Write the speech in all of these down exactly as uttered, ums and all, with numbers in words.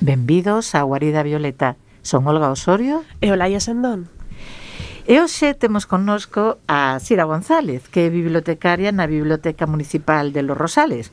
Benvidos á Guarida Violeta. Son Olga Osorio e Olaia Sendón. E hoxe temos connosco a Sira González, que é bibliotecaria na Biblioteca Municipal de Los Rosales.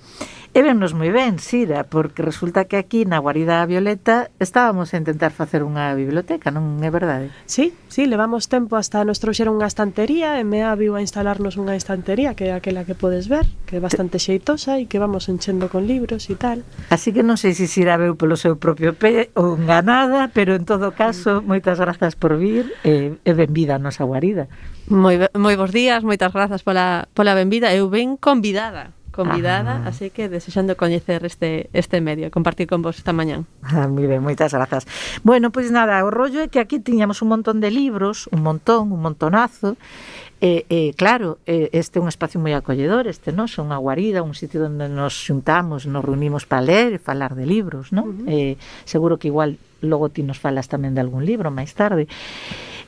E vennos moi ben, Sira, porque resulta que aquí na Guarida Violeta estábamos a intentar facer unha biblioteca, non é verdade? Sí, sí, levamos tempo hasta nos trouxeron unha estantería e me aviu a instalarnos unha estantería que é aquela que podes ver, que é bastante xeitosa e que vamos enchendo con libros e tal. Así que non sei se Sira veu polo seu propio pé ou enganada, pero en todo caso, moitas grazas por vir e, e benvida a nosa guarida. Moi, moi bons días, moitas grazas pola, pola benvida. Eu ben convidada. convidada, ah. así que desexando coñecer este este medio, compartir con vos esta mañán. Ah, moi ben, moitas grazas. Bueno, pois pues nada, o rollo é que aquí tiñamos un montón de libros, un montón, un montonazo, e, e claro, este é un espacio moi acolledor, este, non? Son unha guarida, un sitio onde nos xuntamos, nos reunimos para ler e falar de libros, non? Uh-huh. Eh, seguro que igual logo ti nos falas tamén de algún libro máis tarde.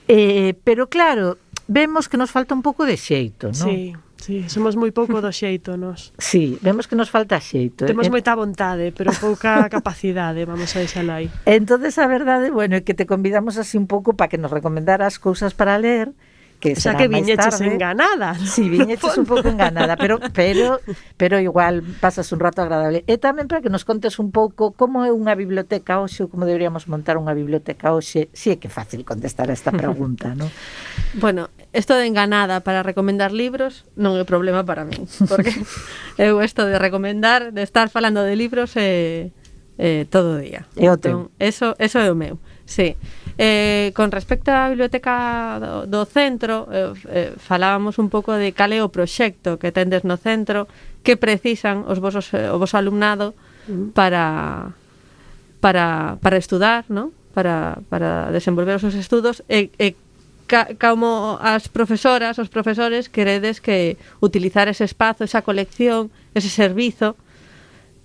Eh, pero claro, vemos que nos falta un pouco de xeito, non? Sí. Sí, somos moi pouco do xeito, nos. Sí, vemos que nos falta xeito. Temos moita vontade, pero pouca capacidade, vamos a deixalo aí. Entonces, a verdade, bueno, é que te convidamos así un pouco para que nos recomendaras cousas para ler, que o sea, que viñeches enganada, ¿no? Sí, viñeches un pouco enganada, pero pero pero igual pasas un rato agradable. E tamén para que nos contes un pouco como é unha biblioteca hoxe, ou como deberíamos montar unha biblioteca hoxe. Si é que é fácil contestar a esta pregunta, ¿no? Bueno, esto de enganada para recomendar libros non é problema para min, porque eu esto de recomendar, de estar falando de libros é eh, todo o día. É o teu. Entón, eso, eso é o meu, sí. Eh, con respecto á biblioteca do, do centro, eh, eh, falábamos un pouco de cal é o proxecto que tendes no centro, que precisan os vosos, o voso alumnado para para, para estudar, ¿no? Para, para desenvolver os seus estudos, e, e ca, como as profesoras, os profesores, queredes que utilizar ese espazo, esa colección, ese servizo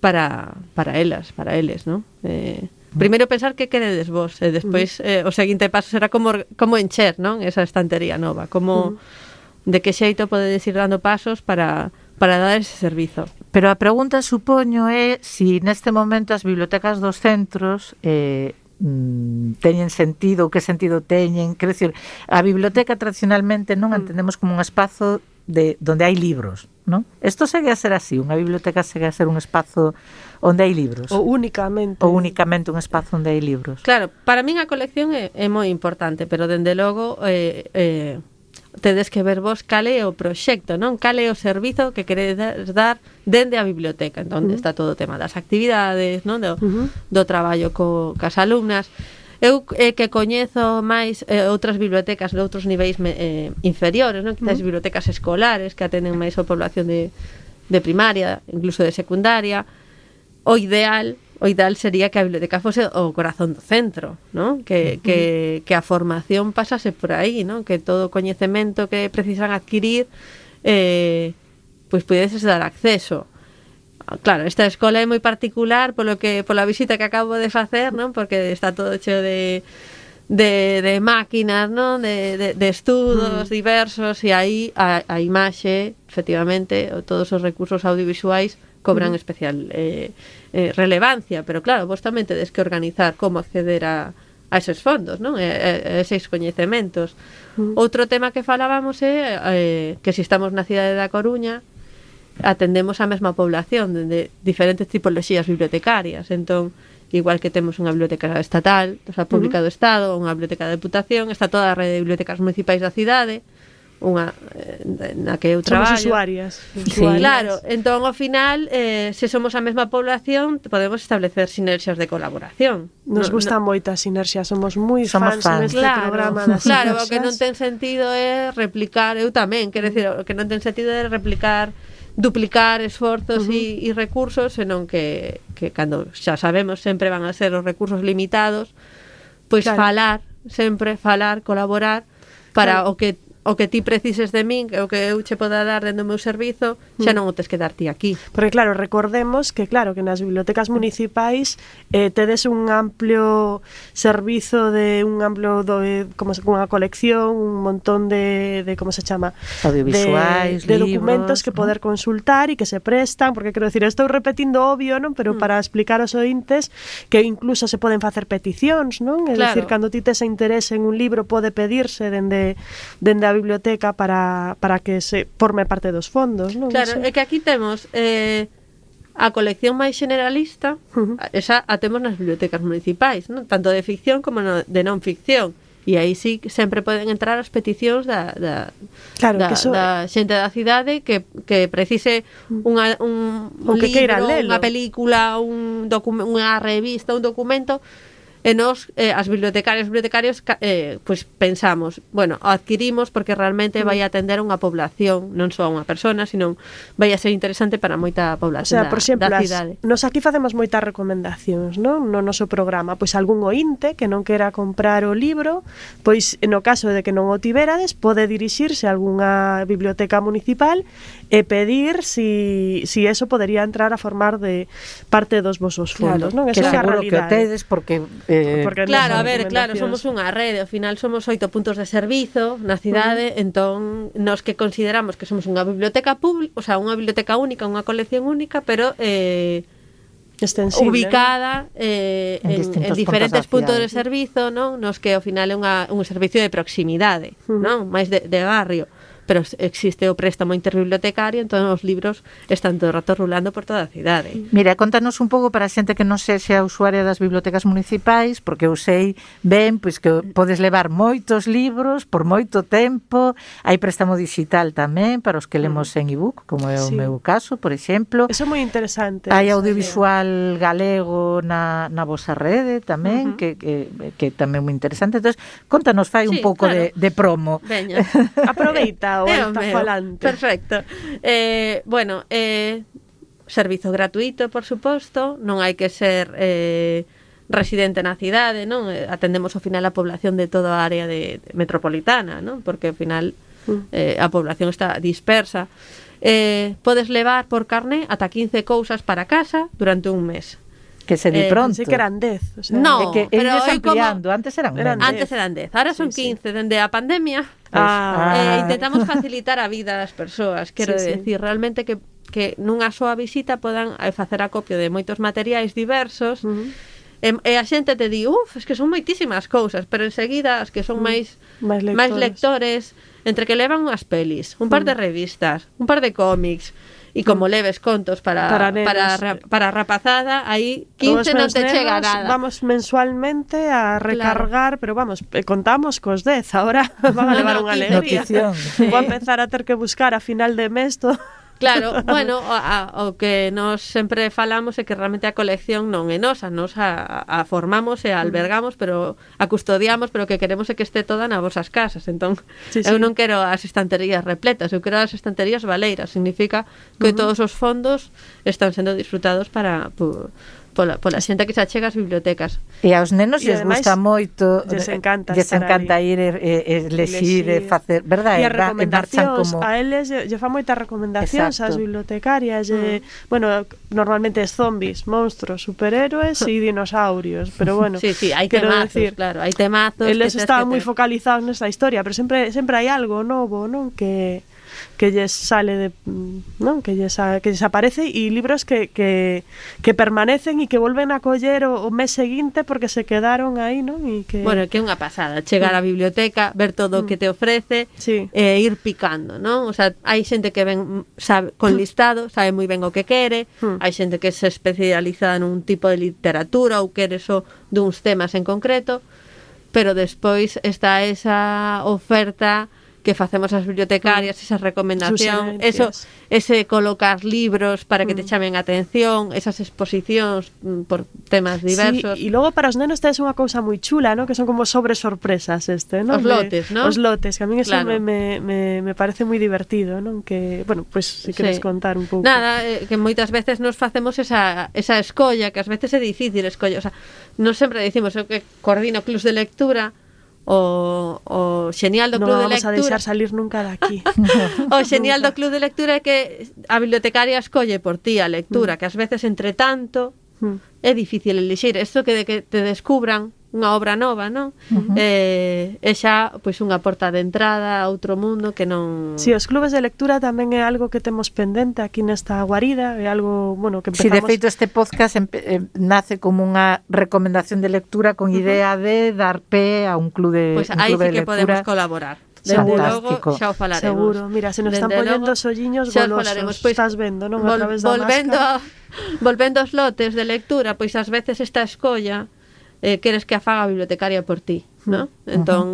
para, para elas, para eles, ¿no? Eh, Primeiro pensar que queredes vos e despois eh, o seguinte paso será como como encher, non? Esa estantería nova, como de que xeito podedes ir dando pasos para para dar ese servizo. Pero a pregunta, supoño, é se si neste momento as bibliotecas dos centros eh, mm, teñen sentido, ou que sentido teñen, quero dicir, a biblioteca tradicionalmente non entendemos como un espazo de donde hai libros, non? Isto segue a ser así, unha biblioteca segue a ser un espazo onde hai libros. Ou únicamente. Ou únicamente un espazo onde hai libros. Claro, para min a colección é, é moi importante, pero dende logo eh, eh, tedes que ver vos cal é o proxecto, non? Cal é o servizo que queredes dar dende a biblioteca, entón uh-huh. está todo o tema das actividades, non? Do, uh-huh. do traballo co, cas alumnas. Eu eh, que coñezo máis eh, outras bibliotecas de outros niveis eh, inferiores, non? Quizás uh-huh. bibliotecas escolares que atenden máis a población de, de primaria, incluso de secundaria. O ideal, o ideal sería que a biblioteca fose o corazón do centro, non? Que, uh-huh. que, que a formación pasase por aí, non? Que todo o coñecemento que precisan adquirir eh, pois pudeses dar acceso. Claro, esta escola é moi particular polo que pola visita que acabo de facer, non? Porque está todo cheo de de, de máquinas, non? De, de, de estudos mm. diversos, e aí a, a imaxe, efectivamente, todos os recursos audiovisuais cobran mm. especial eh, eh, relevancia, pero claro, vos tamén tedes que organizar como acceder a, a esos fondos, non? E, a, a eses coñecementos. Mm. Outro tema que falábamos é eh, que se estamos na cidade da Coruña, atendemos a mesma población de diferentes tipoloxías bibliotecarias, entón igual que temos unha biblioteca estatal, o sea, pública do Estado, unha biblioteca da Deputación, está toda a rede de bibliotecas municipais da cidade, unha eh, na que eu traballo. Somos usuarias. Sí, claro, entón ao final eh, se somos a mesma población podemos establecer sinerxias de colaboración. Nos no, gusta no, moita sinerxia, somos moi fans, fans neste claro, programa das claro, sinerxias. O que non ten sentido é replicar, eu tamén, quero decir, o que non ten sentido é replicar duplicar esforzos e uh-huh. recursos, senón que, que cando xa sabemos sempre van a ser os recursos limitados, pois claro. falar, sempre falar, colaborar para claro. o que o que ti precises de min, o que eu che poda dar dentro do meu servizo, xa non o tes que dar ti aquí. Porque claro, recordemos que claro, que nas bibliotecas municipais eh, tedes un amplio servizo de un amplio do, eh, como se, unha colección, un montón de, de como se chama? Audiovisuais, de, de libros, documentos que ¿no? poder consultar e que se prestan, porque quero decir, estou repetindo obvio, non? Pero mm. para explicar aos ointes que incluso se poden facer peticións, non? É Claro. dicir, cando ti tes interese en un libro pode pedirse dende, dende a biblioteca para, para que se forme parte dos fondos, non? Claro, Eso. é que aquí temos eh, a colección máis generalista, Uh-huh. esa a temos nas bibliotecas municipais, non? Tanto de ficción como no, de non ficción. E aí sí que sempre poden entrar as peticións da, da, Claro, da, que eso- da xente da cidade que, que precise unha, un, un O que queira libro, lelo. unha película, un docu- unha revista, un documento. E nos, eh, as bibliotecarias e bibliotecarios eh, pues pensamos, bueno, o adquirimos porque realmente vai atender unha población, non só a unha persona, sino vai a ser interesante para moita O población sea, por exemplo, da, da as, cidade. nos aquí facemos moitas recomendacións, non? No noso programa, pois algún ointe que non quera comprar o libro, pois no caso de que non o tiverades, pode dirixirse a algunha biblioteca municipal e pedir si, si eso podería entrar a formar de parte dos vosos fondos, non? Que Eso é a seguro que o realidade. tedes porque eh, Porque Claro, a non son ver, claro, recomendacións. somos unha rede, ao final somos oito puntos de servizo na cidade, uh-huh. entón nos que consideramos que somos unha biblioteca pública, o sea, unha biblioteca única, unha colección única, pero eh, extensible, ubicada eh, En en, distintos en diferentes puntos puntos da de servizo, non? Nos que ao final é unha, un servicio de proximidade, Uh-huh. non? Máis de, de barrio, pero existe o préstamo interbibliotecario, entón os libros están todo o rato rulando por toda a cidade. Mira, contanos un pouco para a xente que non sexa usuaria das bibliotecas municipais, porque eu sei ben pois que podes levar moitos libros por moito tempo, hai préstamo digital tamén para os que lemos en ebook, como é o Sí. meu caso, por exemplo. Eso é moi interesante. Hai esa audiovisual galego na, na vosa rede tamén, Ujú. que, que, que tamén é moi interesante. Entón, contanos, fai un Sí, pouco claro. de, de promo. Veña. idea. Aproveita o É o alta meu. falante. Perfecto. Eh, bueno, eh, servizo gratuito, por suposto, non hai que ser eh, residente na cidade, non? Eh, atendemos ao final a población de toda a área de, de metropolitana, non? Porque ao final eh, a población está dispersa. Eh, podes levar por carné ata quince cousas para casa durante un mes. Que se di Eh, pronto. Pensei que eran dez. O sea, No, É que pero eles é como- ampliando, antes eran Eran menos. Antes eran dez, ahora son Sí, sí. quince. Dende a pandemia Ah, eh, Ah. intentamos facilitar a vida das persoas. Quero Sí, sí. decir, realmente que, que nunha soa visita podan eh, facer acopio de moitos materiais diversos. Uh-huh. E, e a xente te di, uf, es que son moitísimas cousas, pero enseguida as que son máis Máis lectores. máis lectores, entre que levan unhas pelis, un par de revistas, un par de cómics, e como leves contos para Para nenos. para, ra- para a rapazada, aí Os quince non meus te nenos chega nada. Vamos mensualmente a recargar, pero vamos, eh, contamos cos dez, ahora van a No, levar no, unha quince. alegría. Notición. Vou a empezar a ter que buscar a final de mes todo. Claro, bueno, o, a, o que nos sempre falamos é que realmente a colección non é nosa, nos a, a formamos e a albergamos, pero a custodiamos, pero o que queremos é que este toda nas vosas casas. Entón, Sí, eu sí. non quero as estanterías repletas, eu quero as estanterías valeiras. Significa que uh-huh. todos os fondos están sendo disfrutados para po, pola, pola xente que se achega ás bibliotecas. E aos nenos E lles ademais, gusta moito, lles encanta lles estar encanta aí. ir e, e, e lexir e Lexir. facer, verdad? E E as va- e marchan recomendacións, como a eles lle, lle fan moitas recomendacións Exacto. ás bibliotecarias, lle, bueno, normalmente es zombies, monstruos, superhéroes e dinosaurios, pero bueno, Sí, sí, hai quero temazos, decir, claro, hai temazos. eles que tes estaban que moi ter. focalizados nesta historia, pero sempre sempre hai algo novo, non? Que que lles sale de, non? Que lles, a- que lles aparece e libros que, que, que permanecen e que volven a coller o, o mes seguinte porque se quedaron aí, non? E que Bueno, que é unha pasada, chegar á biblioteca, ver todo o que te ofrece, Sí. e ir picando, non? O sea, hai xente que ven sabe, con listado, sabe moi ben o que quere, Mm. hai xente que se especializa nun tipo de literatura ou quere só duns temas en concreto, pero despois está esa oferta que facemos as bibliotecarias, esa recomendación, eso, Suxerencias. ese colocar libros para que te chamen a atención, esas exposicións mm, por temas diversos. Sí, e logo para os nenos tes unha cousa moi chula, ¿no? Que son como sobre sorpresas este, ¿no? Os lotes, ¿no? Os lotes, que a min eso Claro. me, me, me, me parece moi divertido, ¿no? Que, bueno, pues si queres Sí. contar un pouco. Nada, eh, que moitas veces nos facemos esa, esa escolla, que ás veces é difícil escolla, o sea, non sempre dicimos eu que coordino clubs de lectura, o, o xenial do Non Club de vamos a Lectura. deixar salir nunca daqui. O xenial do Club de Lectura é que a bibliotecaria escolle por ti a lectura, mm. que ás veces entre tanto mm. é difícil elixir. Isto que de que te descubran unha obra nova, non? Uh-huh. Eh, é xa pois unha porta de entrada a outro mundo que non... Si, sí, os clubes de lectura tamén é algo que temos pendente aquí nesta guarida, é algo, bueno, que empezamos... Si, sí, de feito este podcast eh, nace como unha recomendación de lectura con idea uh-huh. de dar pé a un club de, pues un aí club sí que de lectura. Podemos colaborar. Dende logo xa o falaremos. Seguro, mira, se nos están poñendo os olliños golosos, pois, estás vendo, non? A través da volvendo máscara. A, volvendo aos lotes de lectura, pois ás veces esta escolla eh, queres que a faga a bibliotecaria por ti, ¿no? Uh-huh. Entón,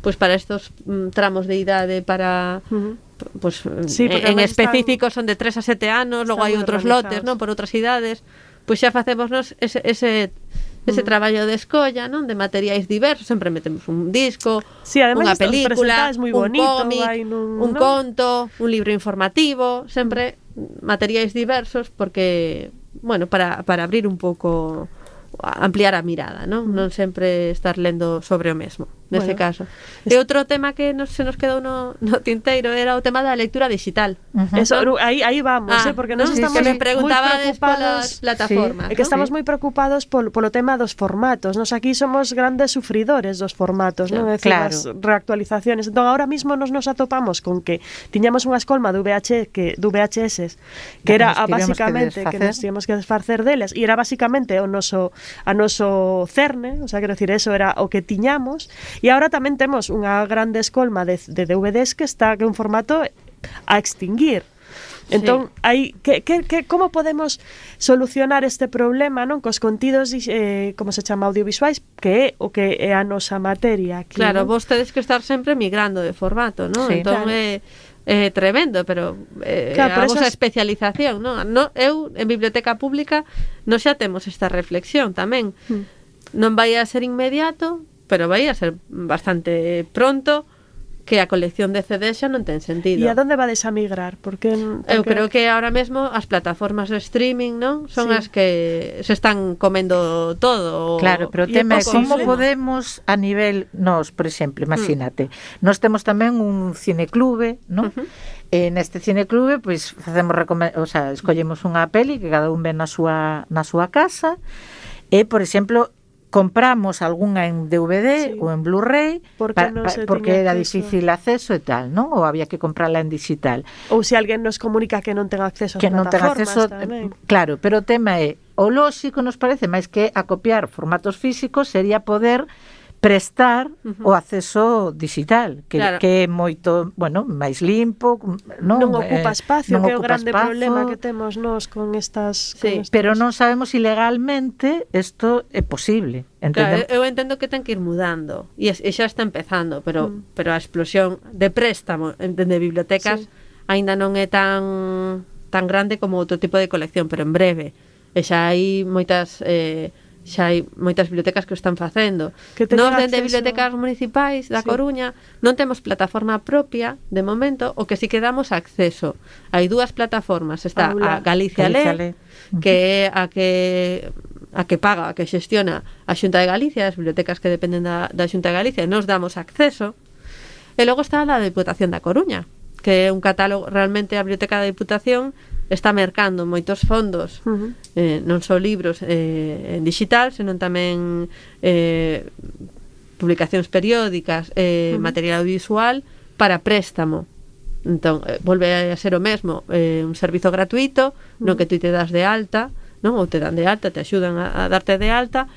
pois para estos mm, tramos de idade para uh-huh. pois sí, en, en específico están, son de tres a sete anos, logo hai outros lotes, non, por outras idades, pois xa facémonos ese ese ese uh-huh. traballo de escolla, non, de materiais diversos, sempre metemos un disco, sí, unha película, muy bonito, un cómic, nun, un ¿no? conto, un libro informativo, sempre materiais diversos porque, bueno, para para abrir un pouco, ampliar a mirada, non? Non sempre estar lendo sobre o mesmo, nese bueno, caso. E outro tema que nos, se nos quedou no, no tinteiro era o tema da lectura digital. Uh-huh. Eso, aí, aí vamos, ah, eh, porque nos ¿no? estamos sí, sí, me preguntabades polas plataformas. Sí, é que ¿no? estamos sí. moi preocupados polo, polo tema dos formatos. Nos aquí somos grandes sufridores dos formatos, non? É dicir, claro. as reactualizaciones. Entón, ahora mismo nos nos atopamos con que tiñamos unha escolma de V H que de V H S que que era nos basicamente que, que nos tíamos que desfacer deles e era basicamente o noso a noso cerne, o sea, quero dicir, eso era o que tiñamos, e agora tamén temos unha grande escolma de, de D V Ds que está que é un formato a extinguir. Entón, sí. aí que, que, que como podemos solucionar este problema, non, cos contidos eh, como se chama audiovisuais, que é o que é a nosa materia aquí. Claro, non? vos tedes que estar sempre migrando de formato, non? Sí, entón claro. é É tremendo, pero eh, claro, a vosa esas... especialización, non? No, eu, en biblioteca pública, non xa temos esta reflexión tamén. Hmm. Non vai a ser inmediato, pero vai a ser bastante pronto, que a colección de C Ds xa non ten sentido. E a donde vades a migrar? Porque, porque... Eu creo que ahora mesmo as plataformas de streaming, non? Son sí. as que se están comendo todo. Claro, pero o tema é como podemos a nivel, nos, por exemplo, imagínate, mm. nós temos tamén un cineclube, non? Uh-huh. E neste cineclube, pois, facemos recome- o sea, escollemos unha peli que cada un ve na súa na súa casa e, por exemplo, compramos algunha en D V D sí. ou en Blu-ray porque, pa, no pa, porque era acceso. Difícil acceso e tal, non? Ou había que comprarla en digital. Ou se alguén nos comunica que non ten acceso ás que non ten acceso tamén. Claro, pero o tema é o lóxico nos parece máis que a copiar formatos físicos sería poder prestar uh-huh. o acceso digital, que, claro. que é moito, bueno, máis limpo, non, non ocupa espacio, eh, non que é o grande espazo, problema que temos nós con estas... Sí. Con estas... Pero non sabemos si legalmente isto é posible. Claro, eu entendo que ten que ir mudando e, e xa está empezando, pero mm. pero a explosión de préstamo de bibliotecas sí. aínda non é tan tan grande como outro tipo de colección, pero en breve. E xa hai moitas... Eh, xa hai moitas bibliotecas que o están facendo. Nós dende bibliotecas municipais da sí. Coruña non temos plataforma propia de momento, o que si que damos acceso. Hai dúas plataformas, está Aula. a Galicia, Galicia Lé, que é a que a que paga, a que xestiona a Xunta de Galicia, as bibliotecas que dependen da, da Xunta de Galicia, e nos damos acceso. E logo está a Deputación da Coruña, que é un catálogo, realmente a Biblioteca da Diputación está mercando moitos fondos, uh-huh. eh, non só libros eh, en digital, senón tamén eh, publicacións periódicas, eh, uh-huh. material audiovisual para préstamo. Entón, eh, volve a ser o mesmo, eh, un servizo gratuito, uh-huh. no que tú te das de alta, non? Ou te dan de alta, te axudan a, a darte de alta,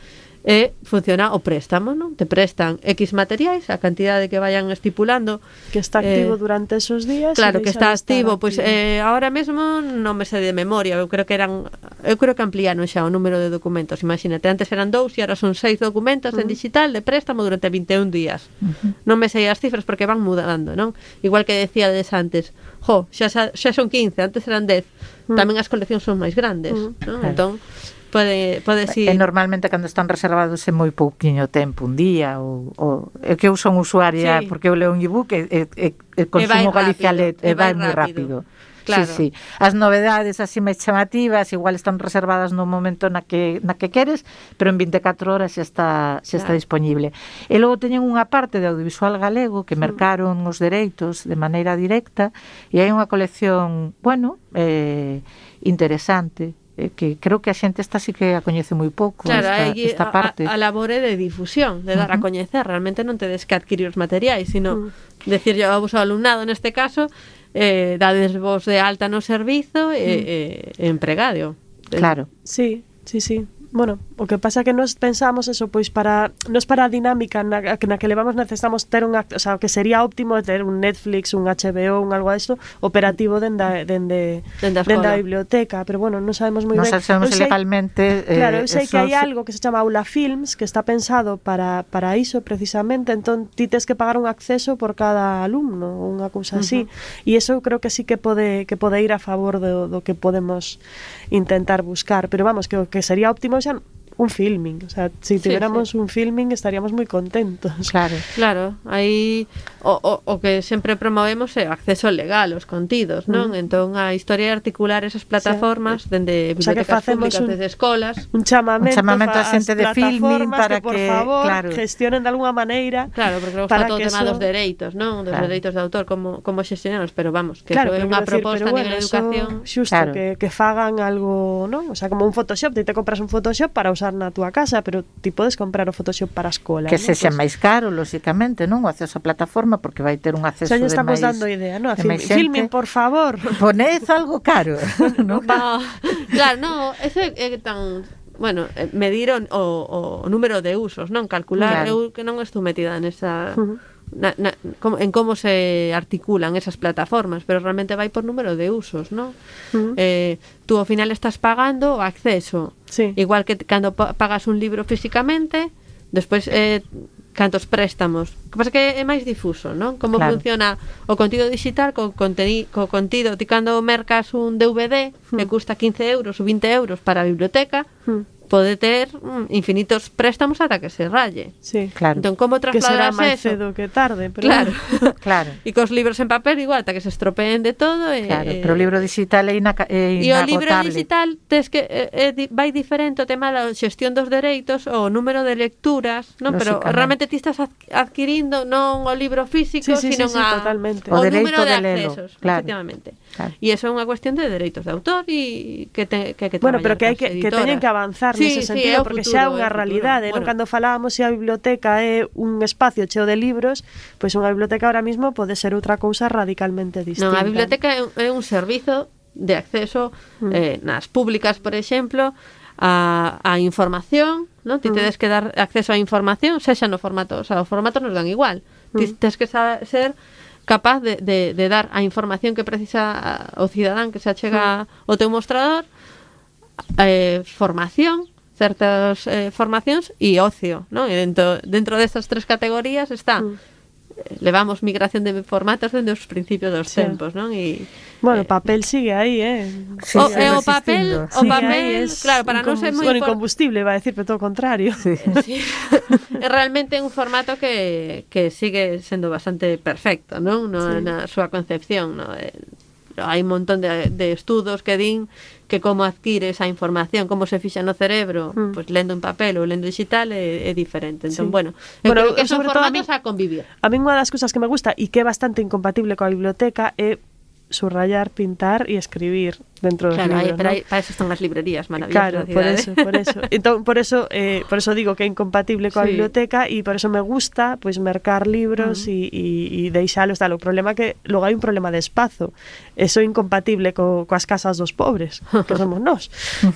e funciona o préstamo, non? Te prestan X materiais, a cantidade que vayan estipulando, que está activo eh, durante esos días. Claro, que está activo, pois pues, eh, ahora mesmo non me sei de memoria, eu creo que eran eu creo que ampliaron xa o número de documentos. Imagínate, antes eran dous e ahora son seis documentos uh-huh. en digital de préstamo durante vinte e un días. Uh-huh. Non me sei as cifras porque van mudando, non? Igual que decíades antes, jo, xa, xa son quince, antes eran dez. Uh-huh. Tamén as coleccións son máis grandes, uh-huh. non? Claro. Entón pode pode si... E normalmente cando están reservados é moi pouquiño tempo, un día ou, ou é que eu son usuaria sí. porque eu leo un ebook e, e, e, e consumo Galicia Let e vai moi rápido. claro. sí, sí. As novedades así máis chamativas igual están reservadas no momento na que na que queres, pero en vinte e catro horas xa está xa está Claro. disponible. E logo teñen unha parte de audiovisual galego que mercaron os dereitos de maneira directa e hai unha colección, bueno, eh, interesante, eh, que creo que a xente esta sí que a coñece moi pouco, Claro, esta, aí esta parte. a, a labore de difusión, de dar a Ujú. coñecer, realmente non tedes que adquirir os materiais, sino Mm. decir yo ao vosso alumnado neste caso, eh, dades vos de alta no servizo e mm. eh, empregado. Claro. Sí, sí, sí. Bueno, o que pasa que nos pensamos eso, pois para nos para a dinámica na, na que levamos necesitamos ter unha, o sea, o que sería óptimo ter un Netflix, un H B O, un algo a isto operativo dende dende Dende a dende escola. a biblioteca, pero bueno, non sabemos moi Non ben. sabemos Eu sei- legalmente eh, Claro, eu sei que hai esos- algo que se chama Aula Films que está pensado para, para iso precisamente, entón ti tes que pagar un acceso por cada alumno ou unha cousa así, e iso creo que sí que pode que pode ir a favor do, do que podemos intentar buscar, pero vamos, que o que sería óptimo xa un filming, o sea, si Sí, tiveramos sí. un filming estaríamos moi contentos. Claro. Claro, aí o, o, o que sempre promovemos é o acceso legal aos contidos, non? Mm. Entón a historia é articular esas plataformas dende O sea, que bibliotecas facemos públicas, un- desde escolas. Un chamamento, Un chamamento fa- a xente ás de filming plataformas para que, por que, favor, claro. gestionen de alguna maneira. Claro, porque logo para está todo o que tema eso- dos dereitos, non? Dos Claro. dereitos de autor, como, como xestionaros, pero vamos, que Claro, eso é pero unha quero decir, proposta pero a nivel de eso, educación. xusto, Claro. que, que fagan algo, non? O sea, como un Photoshop, ti te compras un Photoshop para usar na túa casa, pero ti podes comprar o Photoshop para a escola, Que non? sexa Pois- máis caro, lóxicamente, non? O acceso á plataforma, porque vai ter un acceso Xa lle de estamos máis, dando idea, non? A de film, máis xente. filming, por favor. Poned algo caro, non? No, claro, no, eso é, é tan bueno, eh, medir o, o, o número de usos, non? Calcular, Claro. eu que non estou metida nesa Ujú. na, na, como, en como se articulan esas plataformas, pero realmente vai por número de usos, non? Ujú. Eh, tú ao final estás pagando o acceso. Sí. Igual que t- cando pa- pagas un libro físicamente, despois eh, cantos préstamos. O que pasa que é máis difuso, non? Como Claro. funciona o contido digital co, conteni, co contido. Ti cando mercas un D V D que custa quince euros ou vinte euros para a biblioteca, Mm. pode ter mm, infinitos préstamos ata que se ralle. Sí. Claro. Entón, como Que será trasladas máis eso? cedo que tarde, pero Claro. Claro. E cos libros en papel igual, ata que se estropeen de todo. E, Claro, pero o libro digital é, inaca- é E o libro inagotable. digital tes que é, é, di- vai diferente o tema da xestión dos dereitos, o número de lecturas, non? Pero Lóxicamente. realmente ti estás adqu- adquirindo non o libro físico, Sí, sí, sino sí, sí, a, totalmente. o, O dereito número de de lelo, accesos, claro. efectivamente. Claro. E iso é unha cuestión de dereitos de autor e que te, que, hai que Bueno, pero traballar que hai coas que, que teñen editoras. que avanzar Sí, nese sí, sentido, é o porque futuro, xa é é o unha futuro. realidade, non? Bueno. Cando falábamos se a biblioteca é un espacio cheo de libros, pois unha biblioteca ahora mismo pode ser outra cousa radicalmente distinta. Non, a biblioteca é un, é un servizo de acceso Mm. eh, nas públicas, por exemplo, a, a información, non? Ti Mm. tedes que dar acceso á información, sexa no formato, o sea, os formatos nos dan igual. Ti Mm. tes que sa- ser capaz de, de, de dar a información que precisa o cidadán que se achega ao teu mostrador, eh, formación, certas eh, formacións e ocio, non? E dentro, dentro destas tres categorías está Mm. eh, levamos migración de formatos dende os principios dos Sí. tempos, non? E Bueno, eh, o papel sigue aí, eh. Sí, o, sí, e o resistindo. papel, o Sigue papel, aí, es claro, para non ser moi bueno, impor- incombustible, va a decir, pero todo o contrario. Sí. Sí. É realmente un formato que, que sigue sendo bastante perfecto, non? No, Sí. na súa concepción, no? Eh, hai un montón de, de estudos que din que como adquire esa información, como se fixa no cerebro, Mm. pues lendo en papel ou lendo digital é, é diferente. Entón, Sí. bueno, eu Bueno, creo que son sobre todo a mí- formatos a convivir. A mí unha das cousas que me gusta e que é bastante incompatible coa biblioteca é subrayar, pintar e escribir dentro dos Claro, hai, libros, pero ¿no? hai, para eso están as librerías maravillosas Claro, da por cidade. eso, por eso. Entón, por eso, eh, por eso digo que é incompatible coa Sí. biblioteca e por eso me gusta pois pues, mercar libros e, e, e deixalos tal. O problema é que logo hai un problema de espazo. Eso é incompatible co, coas casas dos pobres, que somos nós,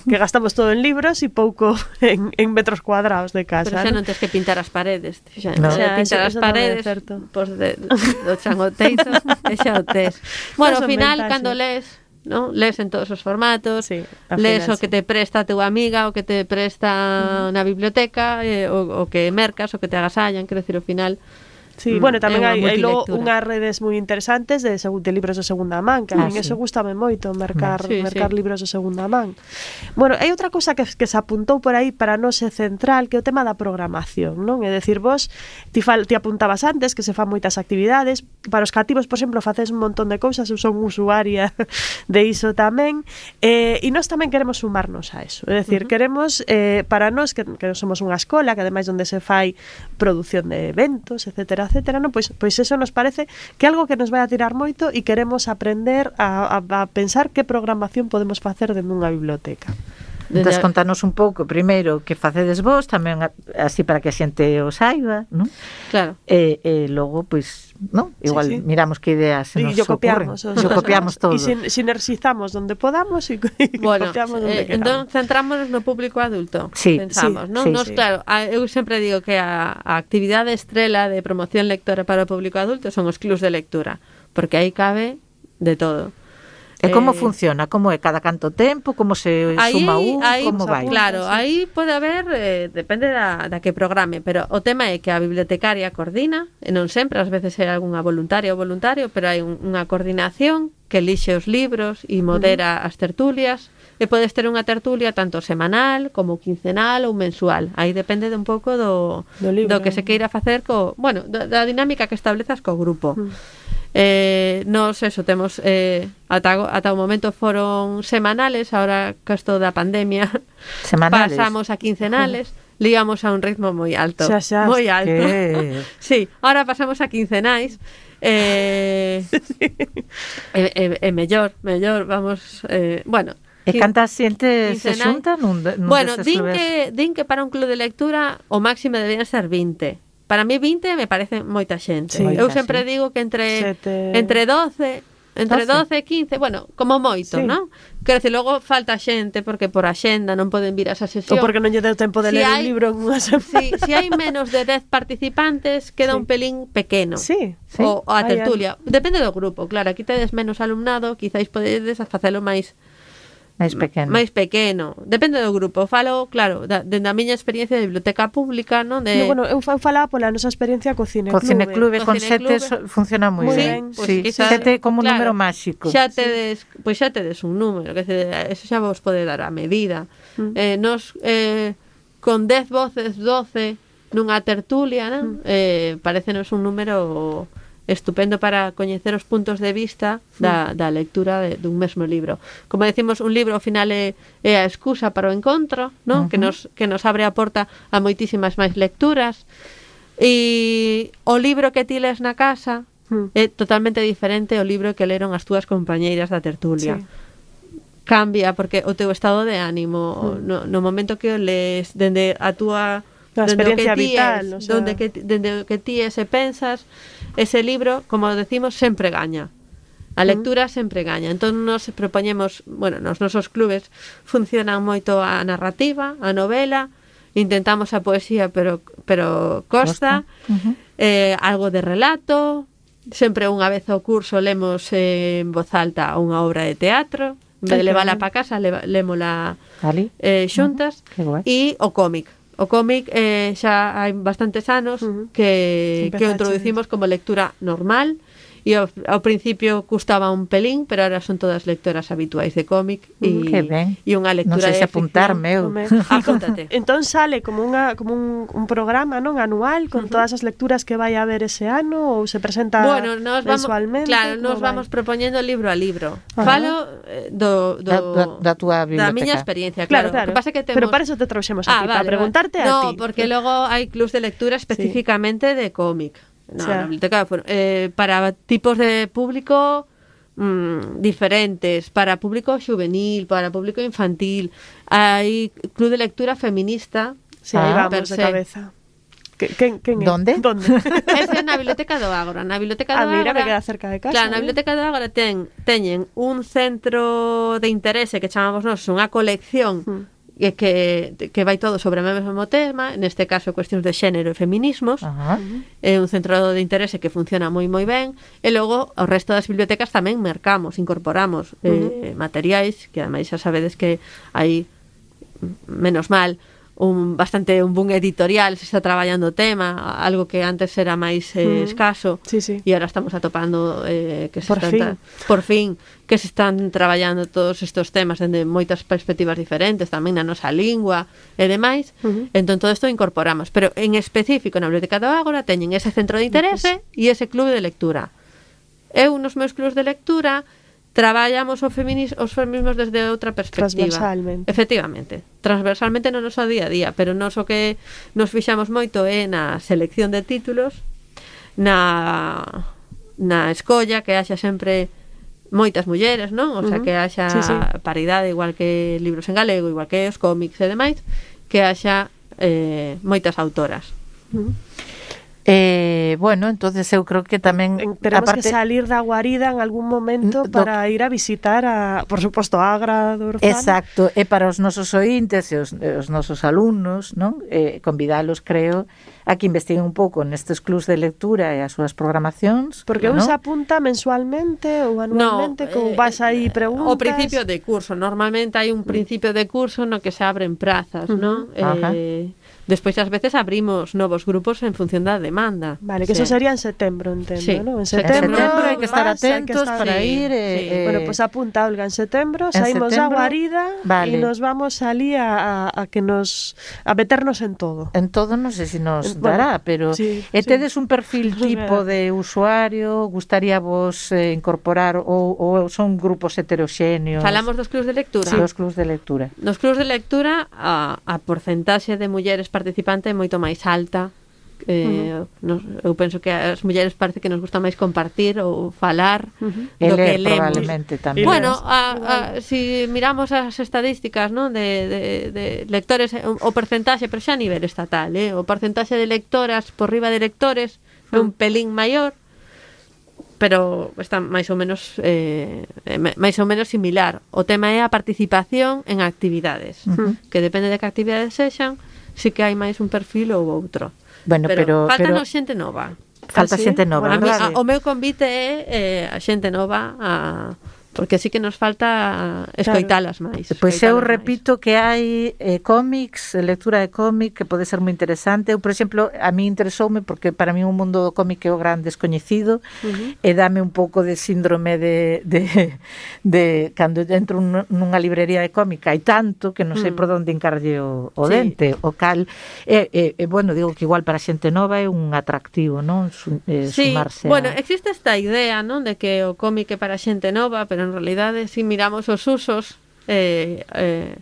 que gastamos todo en libros e pouco en, en metros cuadrados de casa. Pero xa ¿no? non tens que pintar as paredes. Xa, No. xa Xa, pintar as eso- eso tamén é paredes, certo. pois de, do chan o teito, e xa o tes. Bueno, ao son final, ventaxes. cando lees, ¿no? Lees en todos os formatos, Sí, ao lees o final, que sí. te presta a túa amiga, o que te presta na biblioteca, eh, o, o que mercas, o que te agasallan, quero decir, ao final, Sí, bueno, tamén é unha hai, hai logo multilectura. unhas redes moi interesantes de, segu- de libros de segunda man, que a Ah, min sí. eso gustame moito, mercar, Sí, mercar sí. libros de segunda man. Bueno, hai outra cosa que, que se apuntou por aí para non ser central, que é o tema da programación, non? É dicir, vos ti, fal, ti apuntabas antes que se fan moitas actividades, para os cativos, por exemplo, faces un montón de cousas, eu son usuaria de iso tamén, eh, e nós tamén queremos sumarnos a eso, é dicir, uh -huh. queremos, eh, para nós, que, que somos unha escola, que ademais onde se fai produción de eventos, etcétera, etcétera, non? Pois, pois eso nos parece que algo que nos vai a tirar moito e queremos aprender a, a, a pensar que programación podemos facer dentro dunha biblioteca. Entón, contanos un pouco, primeiro, que facedes vos, tamén así para que a xente o saiba, non? Claro. E, e logo, pois, non? Igual Sí, sí. miramos que ideas se nos E yo copiamos, ocurren. Yo copiamos todo. E sin, sinerxizamos donde podamos e Bueno, copiamos donde eh, entón queramos. centrámonos no público adulto. Sí, pensamos, sí, non? sí, Nos, sí. claro, a, eu sempre digo que a, a actividade estrela de promoción lectora para o público adulto son os clubs de lectura, porque aí cabe de todo. E como Eh, funciona? Como é? Cada canto tempo? Como se Aí, suma un? aí, Como vai? Claro, sí. aí pode haber, eh, depende da, da que programe, pero o tema é que a bibliotecaria coordina, e non sempre, ás veces é algunha voluntaria ou voluntario, pero hai un, unha coordinación que elixe os libros e modera uh -huh. as tertulias, e podes ter unha tertulia tanto semanal como quincenal ou mensual. Aí depende de un pouco do, Do libro. do que se queira facer co, bueno, da, da dinámica que establezas co grupo. Uh -huh. Eh, nos eso temos eh, ata, ata o momento foron semanales, ahora que isto da pandemia Semanales. pasamos a quincenales, ligamos a un ritmo moi alto, Xa, xa, moi alto. que- Sí, ahora pasamos a quincenais. Eh, e, e, e mellor, mellor, vamos, eh, bueno, E canta xente se quincenal. xunta nun, de, nun Bueno, destes din clubes? que, din que para un club de lectura o máximo deberían ser vinte. Para mí vinte me parece moita xente. Sí. Eu Moita, sempre sí. digo que entre Sete... entre doce, entre doce. doce e quince, bueno, como moito, Sí. non? Quero dicir, logo falta xente porque por axenda non poden vir a esa Ou sesión. porque non lle deu tempo de Si ler hai- un libro en unha semana. Si, si hai menos de dez participantes, queda Sí. un pelín pequeno. Sí, Sí. O, o a Hai tertulia. Depende do grupo, claro, aquí tedes menos alumnado, quizáis podedes facelo máis máis pequeno. máis pequeno. Depende do grupo. Falo, claro, da, dende a miña experiencia de biblioteca pública, non? De, No, bueno, eu fa- eu falaba pola nosa experiencia co Cine Co Clube. cineclube Co con cineclube. sete so- funciona moi Moi ben. ben, pois Sí, quizás- sete como un claro, número máxico. Xa tedes, pois xa tedes un número, que se, eso xa vos pode dar a medida. Mm. Eh, nos eh, con dez voces, doce nunha tertulia, non? Mm. Eh, parecenos un número estupendo para coñecer os puntos de vista da, da lectura de, dun mesmo libro. Como decimos, un libro ao final é, é a excusa para o encontro, non? Uh -huh. Que nos que nos abre a porta a moitísimas máis lecturas. E o libro que ti les na casa Mm. é totalmente diferente ao libro que leron as túas compañeiras da tertulia. Sí. Cambia porque o teu estado de ánimo, Mm. no, no momento que o lees, dende a túa A dende o que experiencia ti vital, es, o sea. donde que, dende o que ti es e pensas, ese libro, como decimos, sempre gaña. A lectura mm. sempre gaña. Entón nos propoñemos, bueno, nos nosos clubes funcionan moito a narrativa, a novela, intentamos a poesía, pero pero costa, Uh -huh. eh, algo de relato, sempre unha vez ao curso lemos eh, en voz alta unha obra de teatro, en vez de Ai, que levala ben. para casa, leva, lémola Ali. eh, xuntas, Que guai. e o cómic. O cómic eh, xa hai bastantes anos Uh -huh. que, que o Empezaches. introducimos como lectura normal, e ao, ao principio custaba un pelín, pero ahora son todas lectoras habituais de cómic e, Que ben. e unha Non lectura sei de se apuntarme eu. Home. Apúntate. Entón sale como unha como un, un programa, non, anual con Ujú. todas as lecturas que vai a haber ese ano ou se presenta Bueno, nos vamos, mensualmente. claro, como nos vai? vamos propoñendo libro a libro. Ajá. Falo eh, do, do Da, da, da túa da biblioteca. miña experiencia, Claro, claro. O claro. que pasa é que temos... Pero para eso te trouxemos aquí, para preguntarte a no, ti. porque logo hai clubs de lectura especificamente de cómic. No, O sea. na biblioteca bueno, eh, para tipos de público mm, diferentes, para público juvenil, para público infantil. Hai club de lectura feminista. Sí, aí Ah, vamos per de se. cabeza. Que, quen, quen é? Donde? Donde? Ese é na biblioteca do Ágora. Na biblioteca Ah, do mira, Ágora. me queda cerca de casa. Claro, na eh. biblioteca do Ágora ten, teñen un centro de interese que chamamos nós unha colección Mm. e que, que vai todo sobre o mesmo tema, neste caso cuestións de xénero e feminismos. Ajá. É un centro de interese que funciona moi moi ben, e logo o resto das bibliotecas tamén mercamos, incorporamos eh, materiais que ademais xa sabedes que hai, menos mal, un bastante un boom editorial, se está traballando o tema, algo que antes era máis eh, Mm. escaso, Sí, sí. e agora estamos atopando eh, que se Por están fin. tra- por fin que se están traballando todos estes temas dende moitas perspectivas diferentes, tamén na nosa lingua e demais. Ujú. Entón todo isto incorporamos, pero en específico na Biblioteca do Ágora teñen ese centro de interese e ese clube de lectura. Eu nos meus clubs de lectura traballamos o feminis, os feminismos desde outra perspectiva. Transversalmente. Efectivamente, transversalmente no noso día a día, pero nos o que nos fixamos moito é na selección de títulos, na na escolla, que haxa sempre moitas mulleres, non? O sea, Ujú. que haxa Sí, sí. paridade, igual que libros en galego, igual que os cómics e demais, que haxa eh, moitas autoras. Ujú. Eh, bueno, entonces eu creo que tamén En- Tenemos aparte, que salir da guarida en algún momento Do- para ir a visitar a, por suposto, a Agra do Orzán. exacto, e para os nosos ointes e os, e os nosos alumnos, non? Eh, convidalos, creo, a que investiguen un pouco nestes clubs de lectura e as súas programacións, Porque un non? se apunta mensualmente ou anualmente, como eh, vas aí preguntas. O principio de curso, normalmente hai un principio de curso no que se abren prazas, Ujú. non? Ajá. Eh, despois ás veces abrimos novos grupos en función da demanda. Vale, que Sí. eso sería en setembro, entendo, Sí. ¿no? En En setembro, setembro hai que estar más, hai que atentos estar- para Sí, ir e, sí. eh, Bueno, pues apunta, Olga, en setembro en saímos da setembro, guarida vale. e nos vamos ali a, a, a que nos a meternos en todo. En todo non sei se nos Bueno, dará, pero sí, e sí. tedes un perfil Nos tipo dará. de usuario, gustaría vos eh, incorporar ou, ou son grupos heteroxéneos? Falamos dos clubs de lectura. Sí, os clubs de lectura. Nos clubs de lectura a, a porcentaxe de mulleres participantes é moito máis alta. Eh, nos, eu penso que as mulleres parece que nos gusta máis compartir ou falar Ujú. E do que ler, lemos. probablemente tamén. E Bueno, lees. a, a, si miramos as estadísticas, ¿no? de, de, de lectores, o, o percentaxe, pero xa a nivel estatal, eh? o percentaxe de lectoras por riba de lectores é un pelín maior, pero está máis ou menos eh, eh, máis ou menos similar. O tema é a participación en actividades, Ujú. que depende de que actividades sexan, si que hai máis un perfil ou outro. Bueno, pero, pero faltanos xente nova. falta ¿Ah, sí? xente nova, A mí, verdade? a, o meu convite é eh, a xente nova a, porque sí que nos falta escoitalas máis. Pois eu escoitalas máis. repito que hai eh, cómics, eh, lectura de cómic que pode ser moi interesante. Eu, por exemplo, a mí interesoume porque para mí o mundo do cómic é o gran descoñecido. Ujú. E dame un pouco de síndrome de, de, de cando entro nun- nunha librería de cómic hai tanto que non sei Mm. por onde encarlle o, o Sí. dente, o cal e, e, e bueno, digo que igual para xente nova é un atractivo, non? Su, eh, Sí, sumarse bueno, a... existe esta idea, non, de que o cómic é para xente nova, pero en realidade si miramos os usos eh, eh,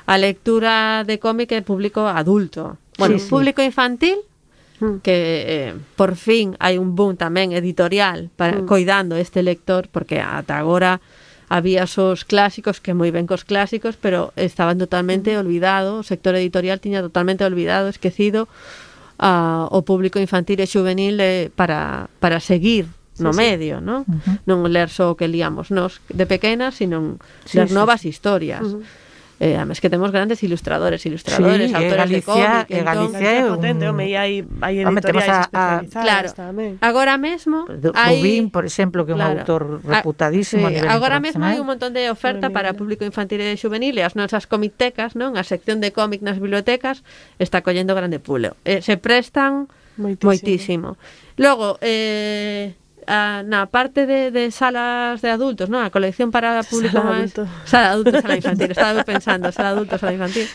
a lectura de cómic é público adulto. Bueno, Sí, sí. público infantil Mm. que eh, por fin hai un boom tamén editorial para Mm. coidando este lector, porque ata agora había os clásicos que moi ben cos clásicos, pero estaban totalmente olvidados, o sector editorial tiña totalmente olvidado, esquecido a, o público infantil e juvenil eh, para, para seguir no Sí, sí. medio, ¿no? Ujú. Non ler só o que líamos nos de pequenas, sino Sí, ler sí, novas historias. Ujú. Eh, además que temos grandes ilustradores, ilustradores, Sí, e autores de Galicia- cómic, e entón, Galicia- Galicia é un- potente, home, e hai, hai Home, temos editoriais a- a- especializadas claro, tamén. agora mesmo hai Rubín, por exemplo, que é un Claro. autor A- reputadísimo a sí, nivel agora mesmo hai internacional. un montón de oferta Madre para mía. público infantil e juvenil e as nosas comictecas, non? A sección de cómic nas bibliotecas está collendo grande pulo. Eh, se prestan Moitísimo. moitísimo. Logo, eh, a, na parte de, de salas de adultos, non? A colección para público Sala máis... adulto. Sala adulto, sala infantil. Estaba pensando, sala adulto, sala infantil.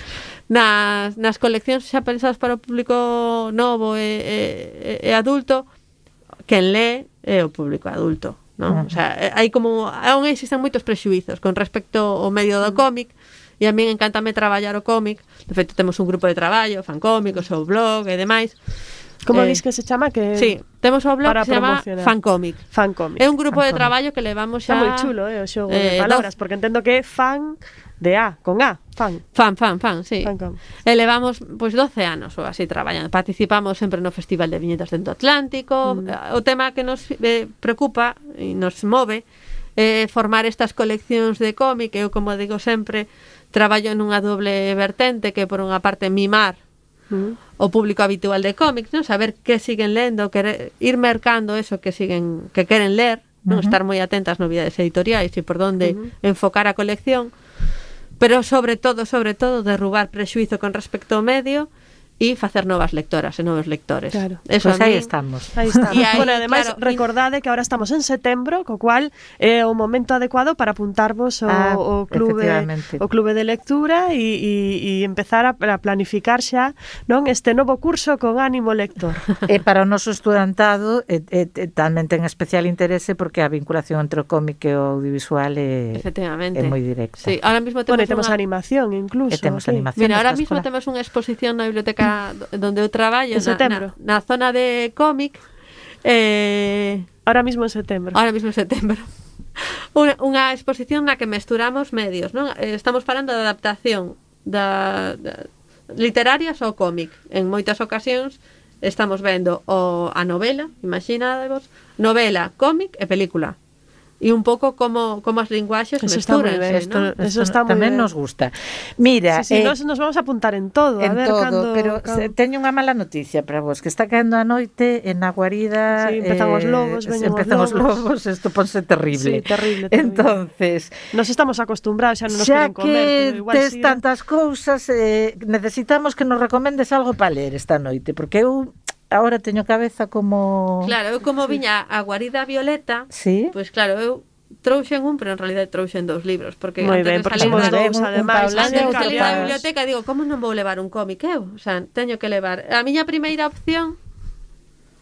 Nas, nas coleccións xa pensadas para o público novo e, e, e adulto, quen lee é o público adulto, non? O sea, hai como... Aún existen moitos prexuizos con respecto ao medio do cómic, e a min encántame traballar o cómic. De feito, temos un grupo de traballo, fan cómicos, o blog e demais. Como Eh, dis que se chama? Que Sí, temos o blog para que se chama promocionar. Fancómic. Fancómic. É un grupo de Fancómic. traballo que levamos Está xa... moi chulo, eh, o xogo eh, de palabras, porque entendo que é fan de A, con A, fan. Fan, fan, fan, sí. Fancómic. E levamos pois doce anos ou así traballando. Participamos sempre no Festival de Viñetas dentro do Atlántico. Mm. O tema que nos eh, preocupa e nos move é formar estas coleccións de cómic. Eu, como digo sempre, traballo nunha doble vertente, que por unha parte mimar Mm. o público habitual de cómics, non? Saber que siguen lendo, querer, ir mercando eso que siguen que queren ler, non? Ujú. Estar moi atentas novidades editoriais e por onde Ujú. enfocar a colección. pero sobre todo, sobre todo, derrubar prexuizo con respecto ao medio e facer novas lectoras e novos lectores. Claro. Pois pues aí estamos. Aí estamos. E aí, bueno, ademais, claro, recordade que agora estamos en setembro, co cual é o momento adecuado para apuntarvos ao, Ah, o clube efectivamente. o clube de lectura e, e, e empezar a, a planificar xa, non, este novo curso con ánimo lector. E para o noso estudantado e, e, e tamén ten especial interese porque a vinculación entre o cómic e o audiovisual é, Efectivamente. é moi directa. Sí, ahora mismo Bueno, temos, e temos unha... animación incluso. E temos aquí. animación. Mira, ahora nesta mismo escola. temos unha exposición na biblioteca donde eu traballo, En na, setembro. na, na zona de cómic, eh, Ahora mismo en setembro. ahora mismo en setembro. Unha, unha exposición na que mesturamos medios, non? Eh, Estamos falando de adaptación da, da literarias ao cómic. En moitas ocasións estamos vendo o, a novela, imaginadevos, novela, cómic e película. E un pouco como, como as linguaxes Eso está moi mesturanse, ben, Esto, ¿no? Eso esto está moi tamén ben. nos gusta. Mira, Sí, sí, eh, nos, nos vamos a apuntar en todo, a en ver todo, cando, pero cando... se, teño unha mala noticia para vos, que está caendo a noite en a guarida. Sí, empezan os lobos, veñen os empezan os lobos. lobos, isto ponse terrible. Sí, terrible, terrible. Entonces, Nos estamos acostumbrados, xa non nos xa queren comer, pero que igual tes si tantas cousas, eh, necesitamos que nos recomendes algo para ler esta noite, porque eu agora teño cabeza como... Claro, eu como viña a guarida violeta, Sí. pois claro, eu trouxen un, pero en realidad trouxen dous libros, porque Moi antes ben, de porque salir somos da- dous, un- un ademais, Paula así Antes de que salir da capaz. biblioteca digo, como non vou levar un cómic eu? O sea, teño que levar. A miña primeira opción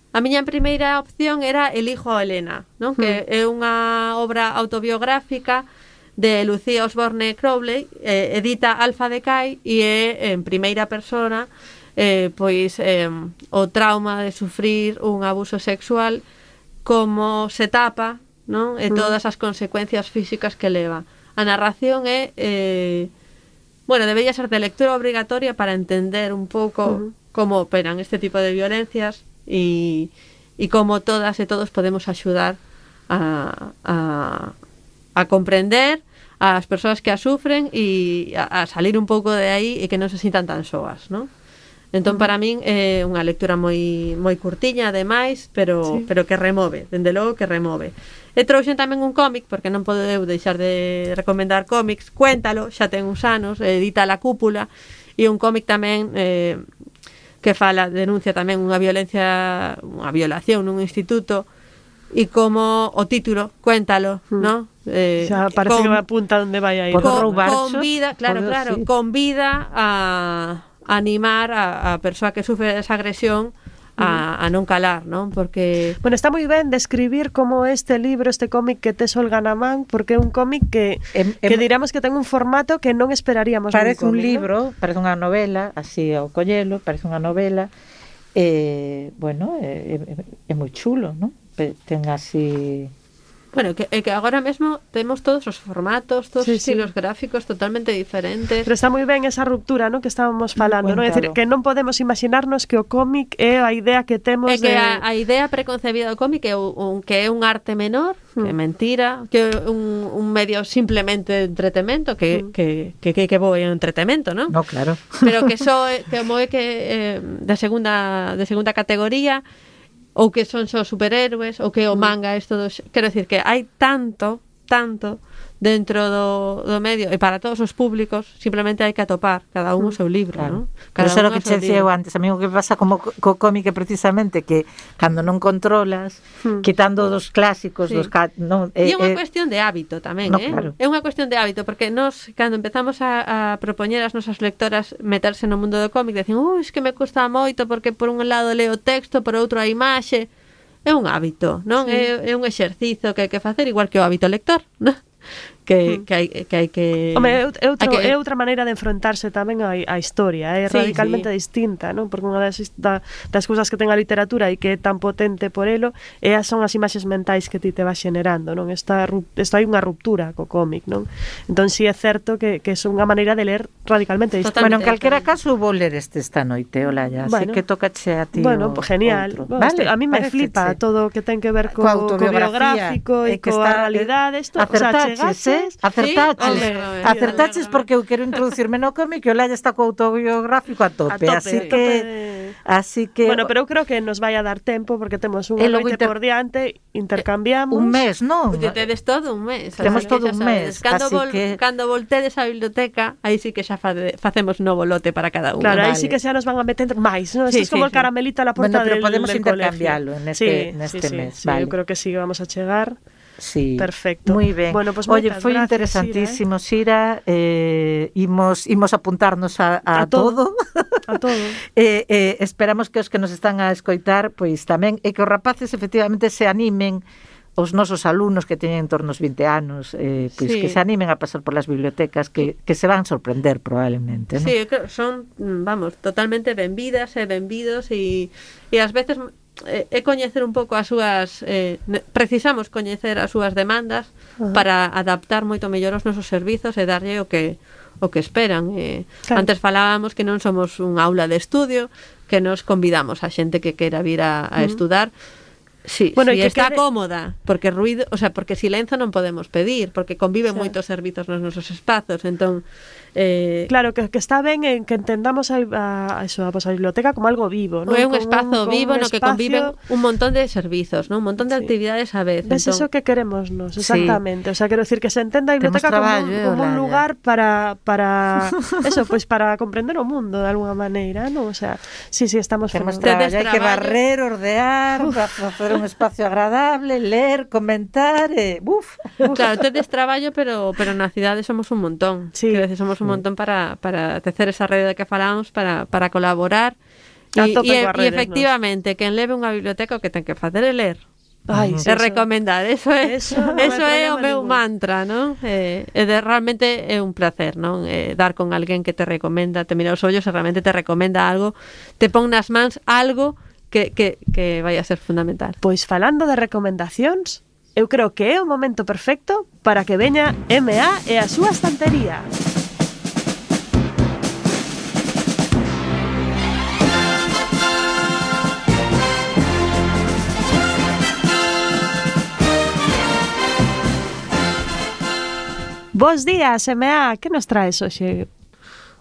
A miña primeira opción era El hijo a Helena, non? Que é unha obra autobiográfica de Lucía Osborne Crowley, eh, edita Alfa Decay e é en primeira persona eh, pois eh, o trauma de sufrir un abuso sexual, como se tapa, non? E todas as consecuencias físicas que leva. A narración é eh, bueno, debería ser de lectura obrigatoria para entender un pouco uh -huh. como operan este tipo de violencias e, e como todas e todos podemos axudar a, a, a comprender as persoas que a sufren e a, a salir un pouco de aí e que non se sintan tan soas, non? Entón, para min é unha lectura moi moi curtiña, ademais, pero sí. pero que remove, dende logo que remove. E trouxen tamén un cómic, porque non podo eu deixar de recomendar cómics. Cuéntalo, xa ten uns anos, edita La Cúpula, e un cómic tamén eh, que fala, denuncia tamén unha violencia, unha violación nun instituto, e como o título, Cuéntalo, mm. ¿no? Eh, xa parece con, que me apunta onde vai a ir. Con, con vida, claro, Podo, claro, sí. con vida a animar a, a persoa que sufre esa agresión a, a non calar, non? Porque... Bueno, está moi ben describir como este libro, este cómic que tes Olga na man, porque é un cómic que, em, em, que diramos que ten un formato que non esperaríamos. Parece un, cómic, un libro, ¿no? Parece unha novela, así ao collelo, parece unha novela, eh, bueno, é, é, é moi chulo, non? Ten así... Bueno, que, que agora mesmo temos todos os formatos, todos sí, os estilos sí. gráficos totalmente diferentes. Pero está moi ben esa ruptura, ¿no? Que estábamos falando, ¿no? É dicir, que non podemos imaginarnos que o cómic é a idea que temos é que de... a, a idea preconcebida do cómic é un, que é un arte menor, hmm. que é mentira, que é un, un medio simplemente de entretemento, que, hmm. que, que, que, que bo é un entretemento, ¿no? No, claro. Pero que só é, que como é que eh, de segunda de segunda categoría, ou que son só superhéroes, ou que o manga isto dos... Quero decir que hai tanto, tanto dentro do, do medio, e para todos os públicos simplemente hai que atopar cada un o seu libro, claro. ¿no? Cada Pero xa o que che dicía eu antes, a mí o que pasa como co cómic é precisamente que cando non controlas, hmm. quitando dos clásicos, sí. dos non, e é unha eh, cuestión de hábito tamén, no, eh? Claro. É unha cuestión de hábito, porque nós cando empezamos a, a propoñer as nosas lectoras meterse no mundo do cómic, decían, "Ui, es que me custa moito porque por un lado leo o texto, por outro a imaxe." É un hábito, non? Sí. É, é un exercizo que hai que facer igual que o hábito lector, non? Que, que, hai, que hai que... Home, é, outro, que... é outra maneira de enfrontarse tamén á, á historia, é sí, radicalmente sí. distinta, non? Porque unha das, da, das cousas que ten a literatura e que é tan potente por elo é, son as imaxes mentais que ti te vas generando, non? Esta, esta hai unha ruptura co cómic, non? Entón, si sí é certo que, que é unha maneira de ler radicalmente distinta. Bueno, en calquera caso vou ler este esta noite, Olaya, bueno, así que tocache a ti. Bueno, pues genial. Bueno, vale, este, a mí me flipa todo o que ten que ver co, co biográfico e coa realidade. Isto, o sea, chegase Ves? Acertaches. Sí, alégrome, Acertaches alégrome. porque eu quero introducirme no cómic e o Laia está co autobiográfico a tope, A tope, así a que tope. así que Bueno, pero eu creo que nos vai a dar tempo porque temos unha E logo noite inter- por diante, intercambiamos. un mes, non? Pois tedes todo un mes. Temos así que todo xa un sabedes. mes, Cando, así vol, que- cando voltedes á biblioteca, aí sí que xa fade, facemos novo lote para cada unha. Claro, aí Vale. sí que xa nos van a meter máis, ¿no? Esto Sí, es como sí, el sí. caramelito a la puerta Bueno, pero del, podemos del intercambiarlo colegio. en este- sí, en este sí, sí, mes, sí, vale. eu creo que sí que vamos a chegar. Sí. Perfecto. Muy ben. Bueno, pues Oye, moitas foi gracias, interesantísimo, Sira, eh, imos, imos apuntarnos a, a, A todo. todo. A todo. eh, eh, esperamos que os que nos están a escoitar, pois tamén, e que os rapaces efectivamente se animen, os nosos alumnos que teñen en torno aos vinte anos, eh, pois Sí. que se animen a pasar polas bibliotecas, que, que se van sorprender probablemente, ¿no? Sí, eu creo, son, mm, vamos, totalmente benvidas e benvidos e, e ás veces é, é coñecer un pouco as súas eh, ne- precisamos coñecer as súas demandas Ajá. para adaptar moito mellor os nosos servizos e darlle o que o que esperan. Eh, Claro. Antes falábamos que non somos un aula de estudio, que nos convidamos a xente que quera vir a, a Ujú. estudar. Sí, Bueno, si e que está quede- cómoda, porque ruido, o sea, porque silencio non podemos pedir, porque conviven Xa. moitos servizos nos nosos espazos, entón eh, Claro, que, que está ben en que entendamos a, a, a, eso, a, pues, a biblioteca como algo vivo, ¿no? é un Como espazo como vivo un no que espacio- conviven un montón de servizos, ¿no? Un montón de Sí. actividades a vez. ¿Ves entón, eso que queremos nos? Exactamente. O sea, quiero decir que se entenda a Temos biblioteca como, traballo, un, eh, como un Olaya. lugar para, para eso, pues para comprender o mundo de alguna maneira, ¿no? O sea, sí, sí, estamos Temos fenomenal. traballo, hai que traballo. barrer, ordear, para facer un espacio agradable, ler, comentar, e, buf. Claro, tedes traballo, pero pero na cidade somos un montón. Sí. Quero decir, somos un montón para, para tecer esa rede de que falamos, para, para colaborar. A E, tope e, coas e redes, efectivamente, quen leve unha biblioteca o que ten que facer é ler. Ai, E sí, eso. recomendar, eso é Eso eso, non hai eso é o problema meu ningún. mantra, non? Eh, e de, realmente é un placer, non? Eh, dar con alguén que te recomenda, te mira os ollos e realmente te recomenda algo, te pon nas mans algo que, que, que vai a ser fundamental. Pois falando de recomendacións, eu creo que é o momento perfecto para que veña M A e a súa estantería. Bos días, M A, que nos traes hoxe?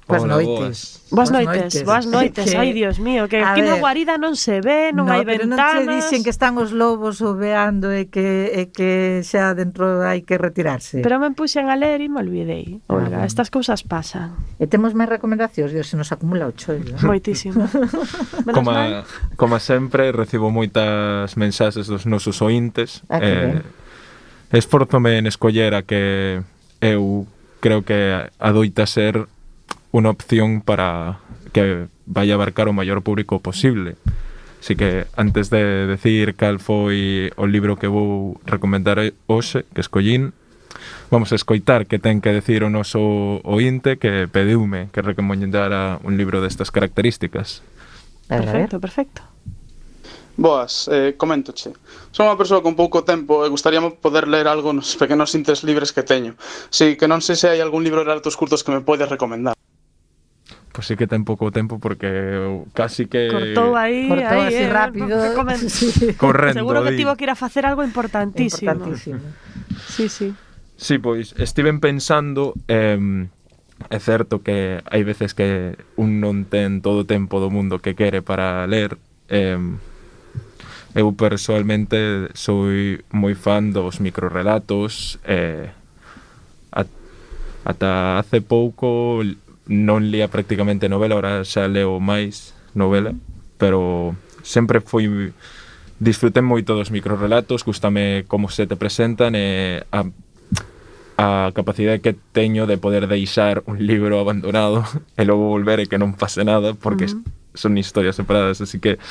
Boas Hola, noites. Boas noites, boas noites. Que- Ai, Dios mío, que a aquí na ver, guarida non se ve, non no, hai pero non ventanas. se dixen que están os lobos oveando e que, e que xa dentro hai que retirarse. Pero me puxen a ler e me olvidei. Ah, Olga, bueno. estas cousas pasan. E temos máis recomendacións, Dios, se nos acumula o chollo. Moitísimo. Menos Como, mal. como sempre, recibo moitas mensaxes dos nosos ointes. Ah, que ben. Esforzome en escoller a que eu creo que adoita ser unha opción para que vai abarcar o maior público posible. Así que, antes de decir cal foi o libro que vou recomendar hoxe, que escollín, vamos a escoitar que ten que decir o noso ointe que pediume que recomendara un libro destas características. A ver, a ver. Perfecto, perfecto. Boas, eh, coméntoche. Son unha persoa con pouco tempo e gustaríame poder ler algo nos pequenos intes libres que teño. Si que non sei se hai algún libro de relatos curtos que me podes recomendar. Pois sí que ten pouco tempo porque eu casi que Cortou aí, Cortou aí, así eh, rápido. que comen- Sí. correndo. Seguro que di. tivo que ir a facer algo importantísimo. Importantísimo. Sí, sí. Sí, pois estiven pensando, eh, é certo que hai veces que un non ten todo o tempo do mundo que quere para ler. Eh, eu persoalmente sou moi fan dos microrelatos, eh, at, ata hace pouco non lía prácticamente novela, ahora xa leo máis novela, pero sempre foi disfrutei moito dos microrelatos, gustame como se te presentan e a, a capacidade que teño de poder deixar un libro abandonado e logo volver e que non pase nada, porque uh -huh. son historias separadas, así que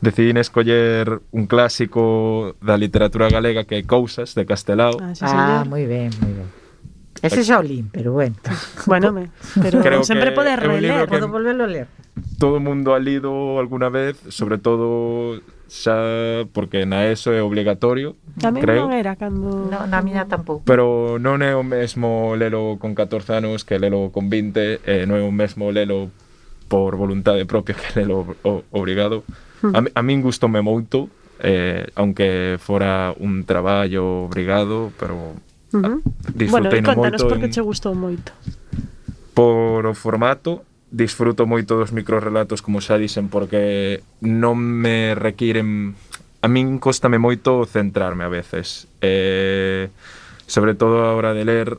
decidí escoller un clásico da literatura galega que é Cousas, de Castelao. Ah, sí, Ah, señor. moi ben, moi ben. Ese xa o lín, pero bueno. Bueno, me, pero Creo sempre que podes é un libro releer. que- Podo volverlo a ler. Todo o mundo ha lido alguna vez, sobre todo xa porque na ESO é obligatorio, A mí creo. non era cando... No, na miña tampouco. Pero non é o mesmo lelo con catorce anos que lelo con vinte, e non é o mesmo lelo por voluntade propia que lelo o, obrigado. A, mi- a min gustoume moito, eh, aunque fora un traballo obrigado, pero Uh-huh. Disfrutei bueno, moito contanos por que en... che gustou moito. Por o formato, disfruto moito dos microrelatos, como xa dixen, porque non me requiren... A min cóstame moito centrarme a veces. Eh, sobre todo a hora de ler,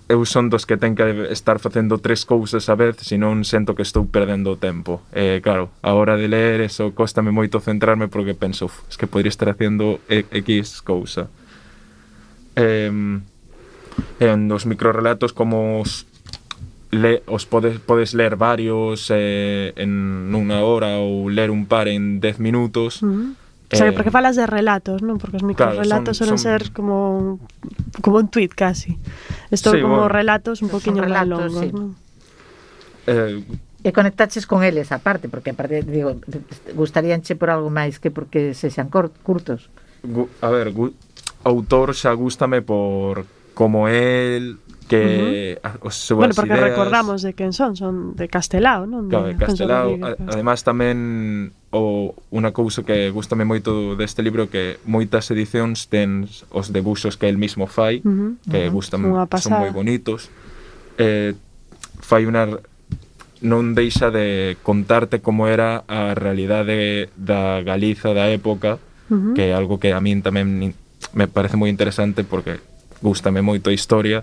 eu son dos que ten que estar facendo tres cousas a vez, senón sento que estou perdendo o tempo. Eh, claro, a hora de ler, eso cóstame moito centrarme porque penso, uf, es que podría estar facendo X cousa. Eh, en os microrelatos, como os... Le, os podes, podes ler varios eh, en unha hora ou ler un par en dez minutos. Uh-huh. O sea, porque falas de relatos, non? Porque os microrelatos claro, son, suelen son... ser como como un tweet casi. Estos sí, como bueno, relatos un poquinho máis longos, sí. Non? Eh, e conectaches con eles aparte, porque aparte digo, gustaríanche por algo máis que porque sexan curtos. Gu, a ver, gu, autor xa gústame por como el que uh-huh. os súas bueno, porque ideas... recordamos de quen son, son de Castelao, non? Claro, de Castelao. Además tamén o unha cousa que gústame moito deste libro que moitas edicións ten os debuxos que el mismo fai, uh-huh. que uh-huh. gustan, son moi bonitos. Eh, fai unha non deixa de contarte como era a realidade da Galiza da época, uh-huh. que é algo que a min tamén me parece moi interesante porque gústame moito a historia.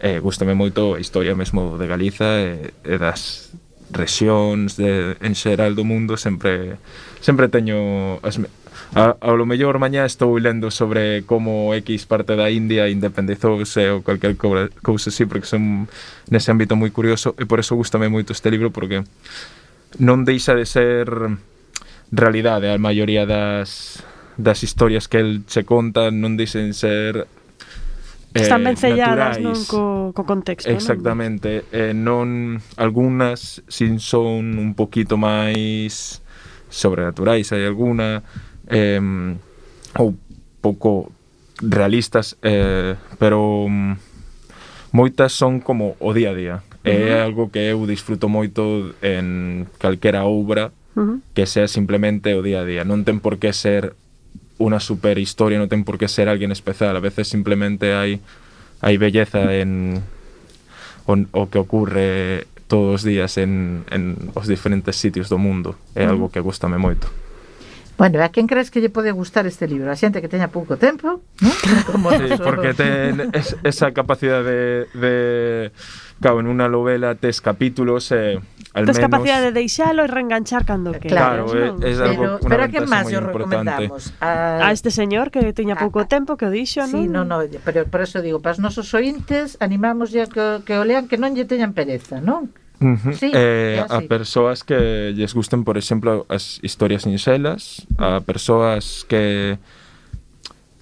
Eh, gústame moito a historia mesmo de Galiza e, e das rexións de, en xeral do mundo. Sempre sempre teño as, a, a lo mellor mañá estou lendo sobre como X parte da India independizouse ou calquer cousa así, porque son nese ámbito moi curioso e por eso gústame moito este libro, porque non deixa de ser realidade a maioría das, das historias que el se conta, non deixen ser están ben selladas, non, co, co contexto. Exactamente. Non? Eh, non, algunhas sin son un poquito máis sobrenaturais, hai alguna eh, ou pouco realistas, eh, pero um, moitas son como o día a día. Uh-huh. É algo que eu disfruto moito en calquera obra, uh-huh. que sea simplemente o día a día. Non ten por que ser unha super historia, non ten por que ser alguén especial. A veces simplemente hai hai belleza en o, o que ocurre todos os días en, en os diferentes sitios do mundo. É algo que gústame moito. Bueno, a quen crees que lle pode gustar este libro? A xente que teña pouco tempo, non? Como sí, porque ten es, esa capacidade de, de claro, en unha novela tes capítulos e eh, al tes menos... capacidade de deixalo e reenganchar cando que. Claro, é, é algo, pero, pero a quen máis o recomendamos? A... a este señor que teña pouco a... tempo que o dixo, non? Sí, non, non, pero por eso digo, para os nosos ointes animamos ya que, que o lean, que non lle teñan pereza, non? Uh-huh. Sí, eh, a persoas que lles gusten, por exemplo, as historias sinxelas, a persoas que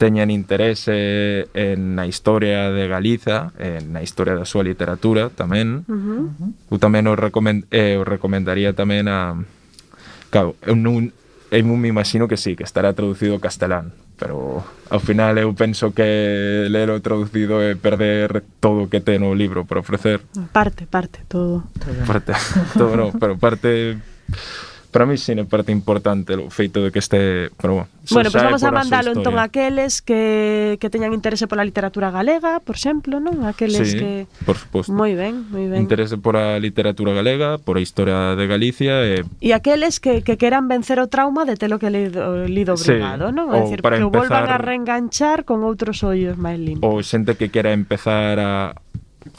teñan interese en a historia de Galiza, en a historia da súa literatura tamén. Uh-huh. Eu tamén o, recomend, eh, o recomendaría tamén a... Claro, eu non, eu non me imagino que sí, que estará traducido ao castelán, pero ao final eu penso que ler o traducido é perder todo o que ten o libro por ofrecer. Parte, parte, todo. Parte, todo non, pero parte... Para mí sí é parte importante o feito de que este... Pero, bueno, pois pues vamos a mandalo entón a aqueles que, que teñan interese pola literatura galega, por exemplo, non? Aqueles sí, que... por suposto. Moi ben, moi ben. Interese por a literatura galega, por a historia de Galicia e... E aqueles que, que queran vencer o trauma de telo que lido, lido obrigado, sí, non? É dicir, que empezar... volvan a reenganchar con outros ollos máis limpos. Ou xente que quera empezar a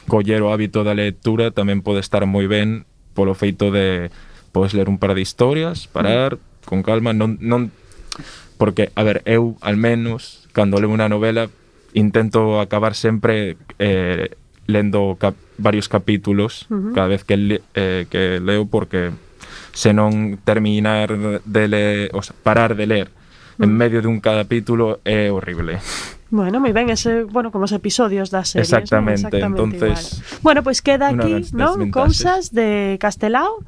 coller o hábito da lectura tamén pode estar moi ben polo feito de... Podes ler un par de historias, parar, mm. con calma, non, non... Porque, a ver, eu, al menos, cando leo unha novela, intento acabar sempre eh, lendo cap varios capítulos uh-huh. cada vez que, le eh, que leo, porque senón terminar de ler, o sea, parar de ler uh-huh. en medio de un capítulo é horrible. Bueno, moi ben, ese, bueno, como os episodios das series, exactamente, ¿no? Exactamente entonces igual. Bueno, pois pues queda aquí, non? Cousas de Castelao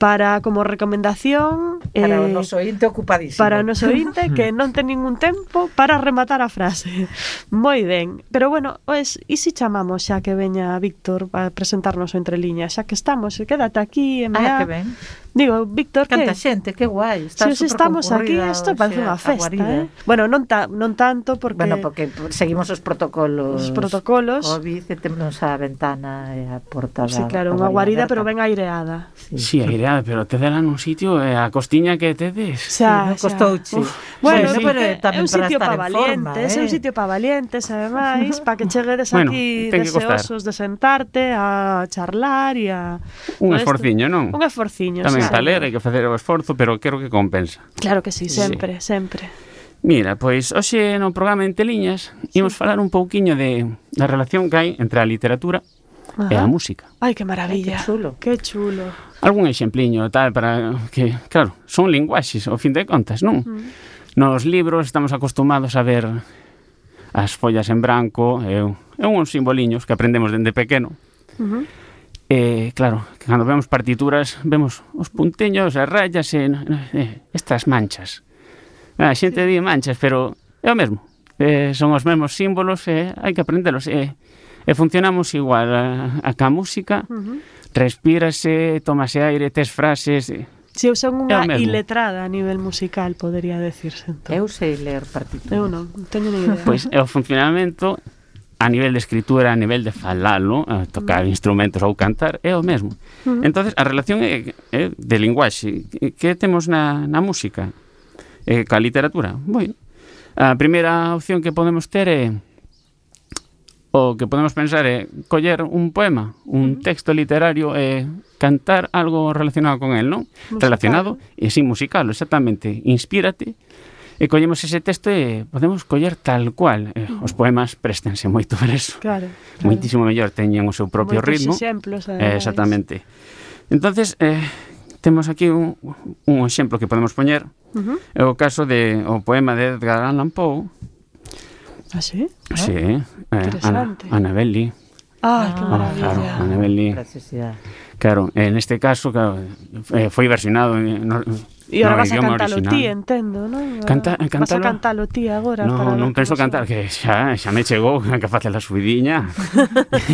para como recomendación Para o eh, noso ointe ocupadísimo. para o noso ointe que non ten ningún tempo para rematar a frase. Moi ben. Pero bueno, pues, e se chamamos xa que veña Víctor para presentarnos o Entre Liñas, xa que estamos, quédate aquí, M A. Ah, que ben. Digo, Víctor, Canta que? xente, que guai. Está Se os estamos aquí, superconcurrida, isto parece o sea, unha festa, aguarida. eh? Bueno, non, ta, non tanto porque... Bueno, porque seguimos os protocolos. Os protocolos. COVID, e temos a ventana e a porta da... Sí, claro, unha guarida, pero ben aireada. Sí, Sí, aireada, pero te dan un sitio e a costiña que tedes. Xa, non xa. costouche. Uf. Bueno, Sí, sí, pero é tamén un para sitio estar para en forma, valientes, é un eh. sitio para valientes, ademais, para que cheguedes Bueno, aquí ten que costar. deseosos de sentarte a charlar e a... Un todo isto. esforciño, non? Un esforciño, Tamén sí. para ler hai que facer o esforzo, pero creo que compensa. Claro que sí, sempre, sempre. Mira, pois hoxe no programa Entre Liñas imos falar un pouquiño de da relación que hai entre a literatura e a Ajá. música. Ai, que maravilla. Ai, que chulo. Que chulo. Algún exempliño tal para que, claro, son linguaxes ao fin de contas, non? Mm. Nos libros estamos acostumados a ver as follas en branco e, e uns simboliños que aprendemos dende pequeno. Uh-huh. E, claro, que cando vemos partituras vemos os punteños, as rayas e, e estas manchas. A xente di manchas, pero é o mesmo. Eh, son os mesmos símbolos e hai que aprendelos. E, e funcionamos igual a, a ca música, Uh-huh. respírase, tómase aire, tes frases... E, Si eu son É o unha mesmo. iletrada a nivel musical, podería decirse. Entón. Eu sei ler partituras. Eu non, non teño ni idea. Pois é o funcionamento a nivel de escritura, a nivel de falalo, a tocar instrumentos ou cantar, é o mesmo. Uh-huh. Entonces a relación é, é de linguaxe. Que temos na, na música? E ca literatura? Bueno, a primeira opción que podemos ter é o que podemos pensar é coller un poema, un texto literario e cantar algo relacionado con el, non? Musical. Relacionado e sin musical, exactamente. Inspírate e collemos ese texto e podemos coller tal cual. Eh, os poemas préstense moito para eso. Claro, claro. Moitísimo mellor, teñen o seu propio Moitos ritmo. exemplos, Eh, ademais. exactamente. Entonces, eh, temos aquí un, un exemplo que podemos poñer. Uh-huh. É o caso de o poema de Edgar Allan Poe. Ah, sí? Sí, eh, Ana, Interesante. Annabelle. Ah, que Ah, maravilla. Claro, Annabelle. Preciosidade. Claro, en este caso, claro, eh, foi versionado en, no, E no agora vas a idioma cantalo original. ti, entendo, non? Canta- Vas a cántalo? cantalo ti agora. No, para non ver penso como cantar, soa. que xa, xa me chegou a que facer a subidiña.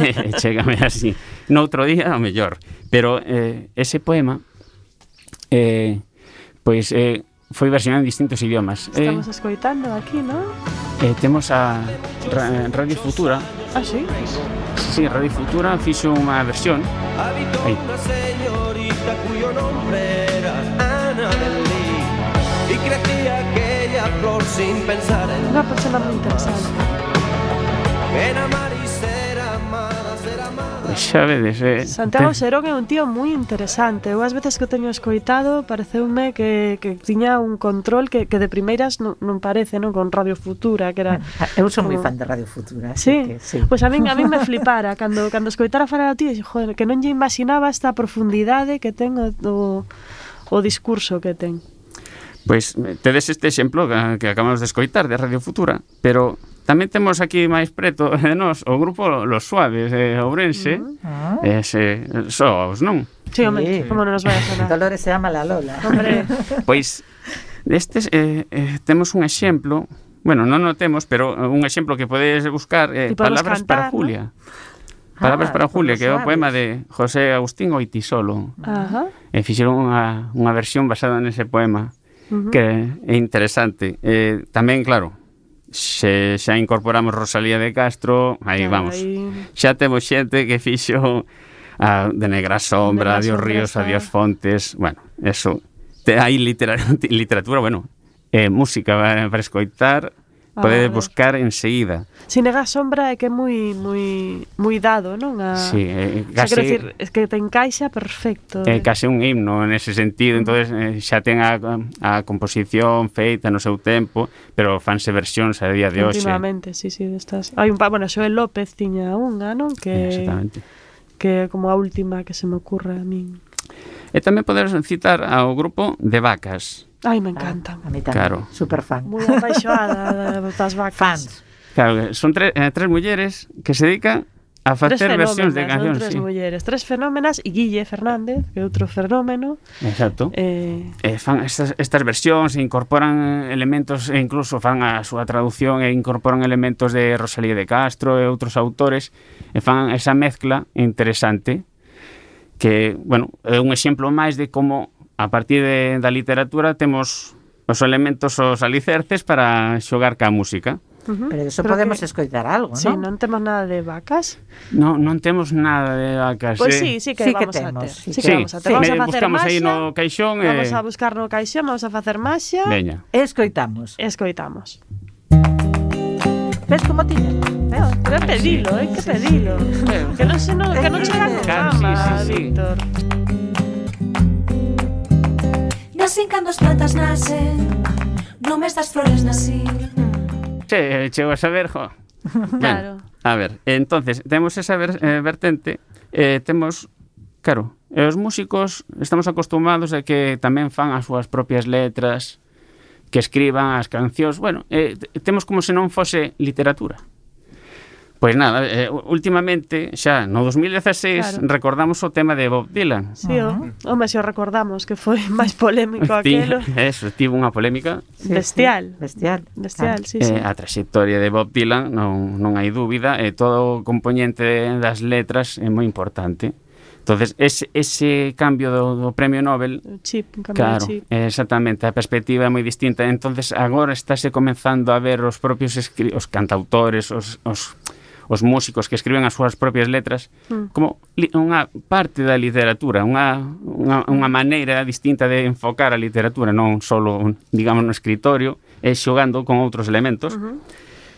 E chégame así. Noutro día, o mellor. Pero eh, ese poema, eh, pois, eh, foi versionado en distintos idiomas. Eh, Estamos escoitando aquí, non? eh, temos a Ra- Radio Futura. Ah, sí? Sí, Radio Futura fixo unha versión. Habitó Ahí. una señorita cuyo nombre era Annabelle y crecía aquella flor sin pensar en Unha persona moi interesante. en amar y ser amada, ser amada. Pois xa vedes, eh, Santiago te- Serón é un tío moi interesante. Eu as veces que o teño escoitado pareceume que, que tiña un control que, que de primeiras non, non parece, non? Con Radio Futura, que era... Eu son moi como- fan de Radio Futura, así Sí, que sí. pois a min a min me flipara cando cando escoitara falar a ti, joder, que non lle imaginaba esta profundidade que ten o, o, o discurso que ten. Pois eh, tedes este exemplo que, que acabamos de escoitar de Radio Futura, pero tamén temos aquí máis preto de nós o grupo Los Suaves de Ourense, Ah, ese soos, non? Sí, home, Sí. como non nos vai a sonar. Dolores se llama la Lola. Hombre, Pois destes eh, eh, temos un exemplo, bueno, non o temos, pero un exemplo que podes buscar eh, Y podemos Palabras cantar, para Julia. Palabras Ah, para con Julia, Los que é o Suaves. poema de José Agustín Oitisolo. ajá. E fixeron unha, unha versión basada nese poema Uh-huh. que é interesante. Eh, tamén, claro, se xa incorporamos Rosalía de Castro, aí Claro, vamos. aí- Xa temos xente que fixo a de Negra Sombra, Negra Adiós Sombra Ríos, está- Adiós Fontes, bueno, eso. Te, hai litera, literatura, bueno, eh, música para, para escoitar, A podedes ver. buscar enseguida. Sin negar sombra é que é moi moi moi dado, non? A, Sí, eh, o sea, quero case, decir, é que te encaixa perfecto. é case un himno nese sentido, entonces eh, xa ten a, a composición feita no seu tempo, pero fanse versións a día de hoxe. Continuamente, sí, sí, destas. Hai un pa, bueno, Xoel López tiña unha, non? Que Exactamente. que é como a última que se me ocurre a min. E tamén poderes citar ao grupo de Vacas. Ai, me encanta. A mí tamén, Claro. super fan. Moi apaixoada das vacas. Fans. Claro, son tre, eh, tres mulleres que se dedican a facer versións de fenómenas, non? cancións, Tres sí. mulleres, tres fenómenas, e Guille Fernández, que é outro fenómeno. Exacto. Eh, E fan estas, estas versións e incorporan elementos, e incluso fan a súa traducción e incorporan elementos de Rosalía de Castro e outros autores, e fan esa mezcla interesante que, bueno, é un exemplo máis de como a partir de, da literatura temos os elementos, os alicerces para xogar ca música. uh-huh. Pero eso Creo podemos que- escoitar algo, Sí, ¿no? non temos nada de vacas. Non, non temos nada de vacas. Pois eh. sí, sí que Sí que vamos a temos, ter. sí Sí que que vamos a ter. Vamos me a facer buscamos aí maxia. no caixón e... Vamos a buscar no caixón, vamos a facer maxia. Veña. E escoitamos. E escoitamos. Ves como tiña? Pero, pero é pedilo, é que pedilo. Que non se non, que non chega con Claro, fama, sí, sí, sí. Víctor. Nacen cando as plantas nacen, no mes das flores nacín. Che, chego a saber, jo. Claro. Ben, a ver, entonces, temos esa ver, eh, vertente, eh, temos, claro, e os músicos estamos acostumados a que tamén fan as súas propias letras, que escriban as cancións, bueno, eh, t- temos como se non fose literatura. Pois nada, eh, últimamente, xa no dos mil dezaseis, Claro. recordamos o tema de Bob Dylan. Sí, o, home, se o recordamos que foi máis polémico Ti- aquelo. Eso, tivo unha polémica. Sí, Bestial. sí, bestial. Bestial, sí, Eh, sí. a traxectoria de Bob Dylan non, non hai dúbida, e todo o componente das letras é moi importante. Entonces, ese, ese cambio do, do premio Nobel, O chip, un cambio claro, de chip. exactamente, a perspectiva é moi distinta. Entonces, agora estáse comenzando a ver os propios escri os cantautores, os, os, os músicos que escriben as súas propias letras Mm. como li unha parte da literatura, unha, unha, unha maneira distinta de enfocar a literatura, non só, digamos, no escritorio, e xogando con outros elementos. Uh-huh.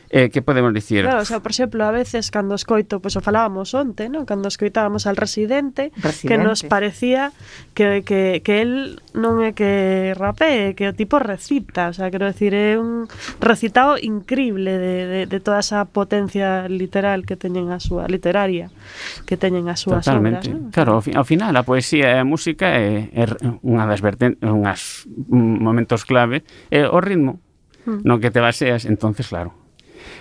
Eh, que podemos dicir? Claro, o sea, por exemplo, a veces cando escoito, pois o falábamos onte, ¿no? Cando escoitábamos al Residente, Residente. que nos parecía que, que, que él non é que rapee, que o tipo recita, o sea, quero decir, é un recitado increíble de, de, de toda esa potencia literal que teñen a súa, literaria, que teñen as súas obras, Totalmente. ¿no? Claro, ao, fi- ao final a poesía e a música é, é unha das vertentes, unhas momentos clave, é o ritmo Mm. no que te baseas, entonces claro.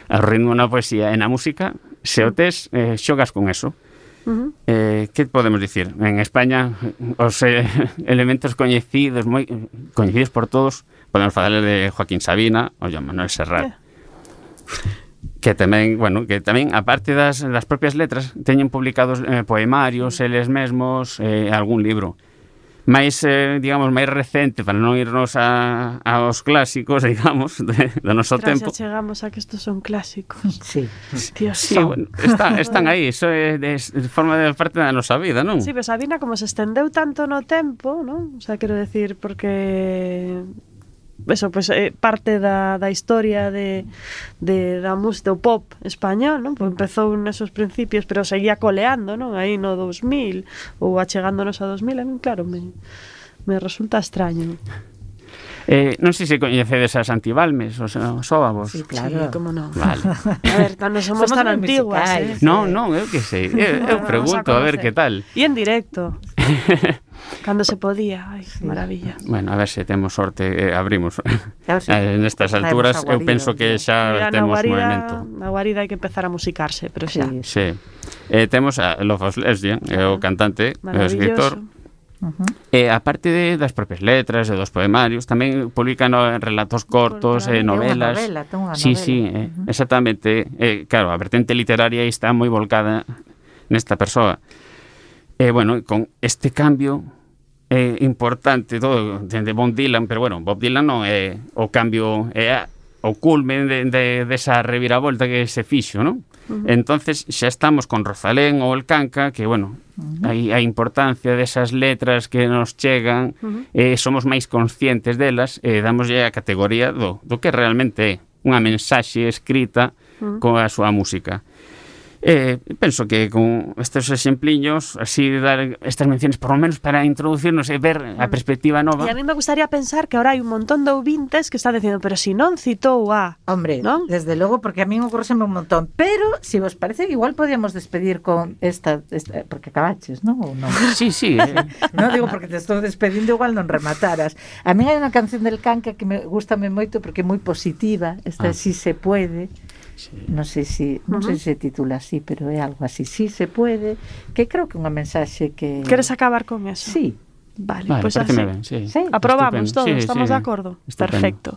O ritmo na poesía e na música, se o tes, eh, xogas con eso. Uh-huh. Eh, que podemos dicir? En España, os eh, elementos coñecidos, moi coñecidos por todos, podemos falar de Joaquín Sabina ou Joan Manuel Serrat. Eh. Que tamén, bueno, que tamén, aparte das, das propias letras, teñen publicados eh, poemarios, eles mesmos, eh, algún libro. máis, eh, digamos, máis recente, para non irnos a, aos clásicos, digamos, de, do noso Tras tempo. xa chegamos a que estos son clásicos. Sí. Dios, Sí, son. bueno, está, están aí, iso é de, de forma de parte da nosa vida, non? Sí, pero Sabina como se estendeu tanto no tempo, non? O sea, quero decir, porque eso, pues, eh, parte da, da historia de, de da música, do pop español, non? Pues empezou nesos principios, pero seguía coleando, non? Aí no dos mil, ou achegándonos a dos mil, a mí, claro, me, me resulta extraño. Eh, non sei se coñecedes as Antibalmes, os, os óvavos. Sí, claro. Sí, como non. Vale. A ver, non somos, Somos tan moi antiguas, musicais. eh? Non, non, eu que sei. Eu, eu pregunto a ver que tal. E en directo. Cando se podía, ai, sí. Maravilla. Bueno, a ver se temos sorte, eh, abrimos. Claro, sí. Eh, nestas Traemos alturas a eu guarida, penso que tío. xa Mira, na temos guarida, movimento. na guarida hai que empezar a musicarse, pero xa. Sí. Sí. Eh, temos a Love of Lesbian, é o cantante, é o escritor. Maravilloso. E aparte de, das propias letras e dos poemarios, tamén publican no, relatos cortos, Por- eh, Ten unha novelas. novela, ten unha Sí, novela. sí, eh, exactamente. Eh, claro, a vertente literaria aí está moi volcada nesta persoa. E, bueno, con este cambio é importante todo de Bob Dylan, pero, bueno, Bob Dylan non é o cambio, é a, o culmen de, de, desa reviravolta que se fixo, non? Uh -huh. Entonces xa estamos con Rosalén ou el Canca, que, bueno, uh -huh. hai a importancia desas letras que nos chegan, uh -huh. eh, somos máis conscientes delas e damoslle a categoría do, do que realmente é unha mensaxe escrita uh -huh. coa súa música. Eh, penso que con estes exempliños así dar estas menciones por lo menos para introducirnos e ver a perspectiva nova. E a mí me gustaría pensar que ahora hai un montón de ouvintes que están dicindo, pero si non citou a... Hombre, ¿no? desde logo, porque a mí ocurreseme un montón. Pero, si vos parece, igual podíamos despedir con esta... esta porque acabaches, non? Ou non? Sí, sí. Eh. Non digo porque te estou despedindo, igual non remataras. A mí hai unha canción del Canca que me gustame moito porque é moi positiva. Esta Ah. Si se puede. Sí. Non sei se non sei se se titula así, pero é algo así. Sí se pode, que creo que é unha mensaxe que Queres acabar con eso? Sí. Vale, Vale, pois pues así. ben, sí. Sí. Aprobamos Estupendo. todos, Sí, estamos sí. de acordo. Estupendo. Perfecto.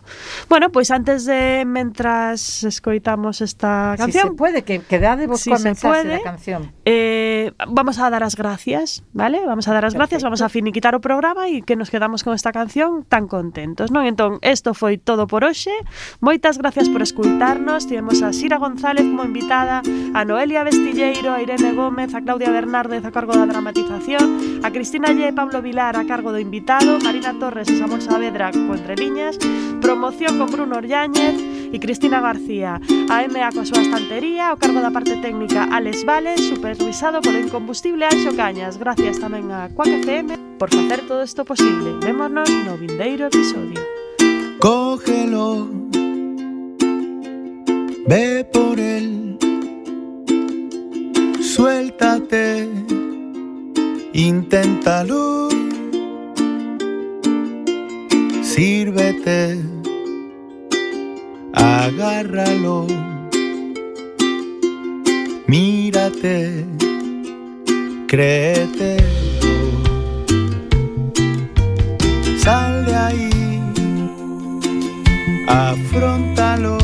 Bueno, pois pues antes de mentras escoitamos esta Si canción, se puede, que quedade vos Si coa se mensaxe puede. da canción. eh, vamos a dar as gracias, ¿vale? Vamos a dar as gracias, Perfecto. vamos a finiquitar o programa e que nos quedamos con esta canción tan contentos, non? Entón, isto foi todo por hoxe. Moitas gracias por escuitarnos. Tivemos a Sira González como invitada, a Noelia Vestilleiro, a Irene Gómez, a Claudia Bernárdez a cargo da dramatización, a Cristina Lle e Pablo Vilar a cargo do invitado, Marina Torres e Samuel Saavedra co Entre Liñas, promoción con Bruno Orlláñez e Cristina García, a M A coa súa estantería, ao cargo da parte técnica Alex Vales, supervisado polo incombustible Anxo Cañas. Gracias tamén a Quack F M por facer todo isto posible. Vémonos no vindeiro episodio. Cógelo, ve por él, suéltate, inténtalo, sírvete, agárralo, mírate, créete, sal de ahí, afróntalo,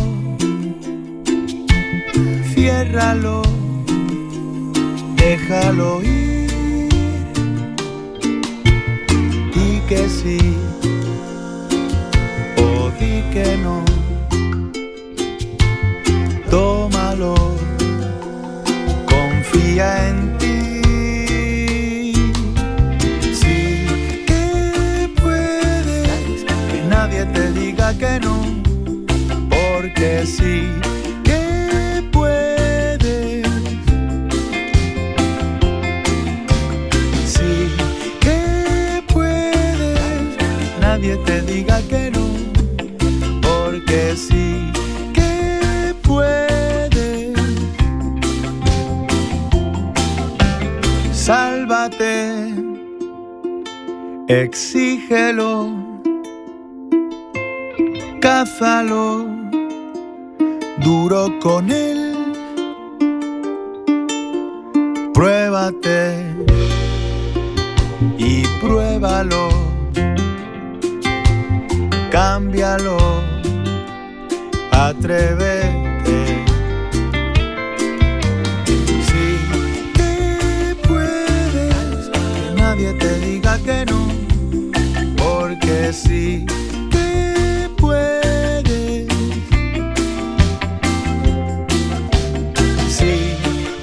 ciérralo, déjalo ir, di que sí o di que no, tómalo, confía en ti. Sí que puedes, que nadie te diga que no, porque sí que puedes. Sí que puedes, nadie te diga que no, porque sí que puedes. Sálvate, exígelo, cázalo, duro con él, pruébate y pruébalo, cámbialo, atrévete. Sí que puedes, que nadie te diga que no, porque sí que puedes. Sí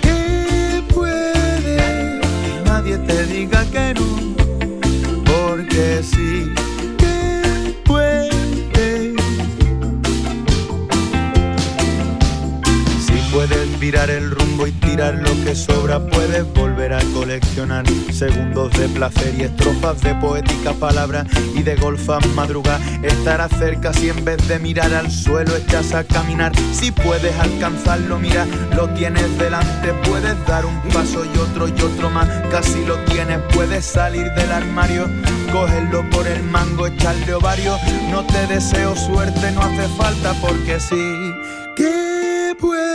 que puedes, que nadie te diga que no, porque sí que puedes. Puedes virar el rumbo y tirar lo que sobra, puedes volver a coleccionar segundos de placer y estrofas de poética palabra y de golfas madrugar. Estarás cerca si en vez de mirar al suelo echas a caminar. Si puedes alcanzarlo, mira, lo tienes delante. Puedes dar un paso y otro y otro más, casi lo tienes. Puedes salir del armario, cogerlo por el mango, echarle ovario. No te deseo suerte, no hace falta, porque sí que puedes.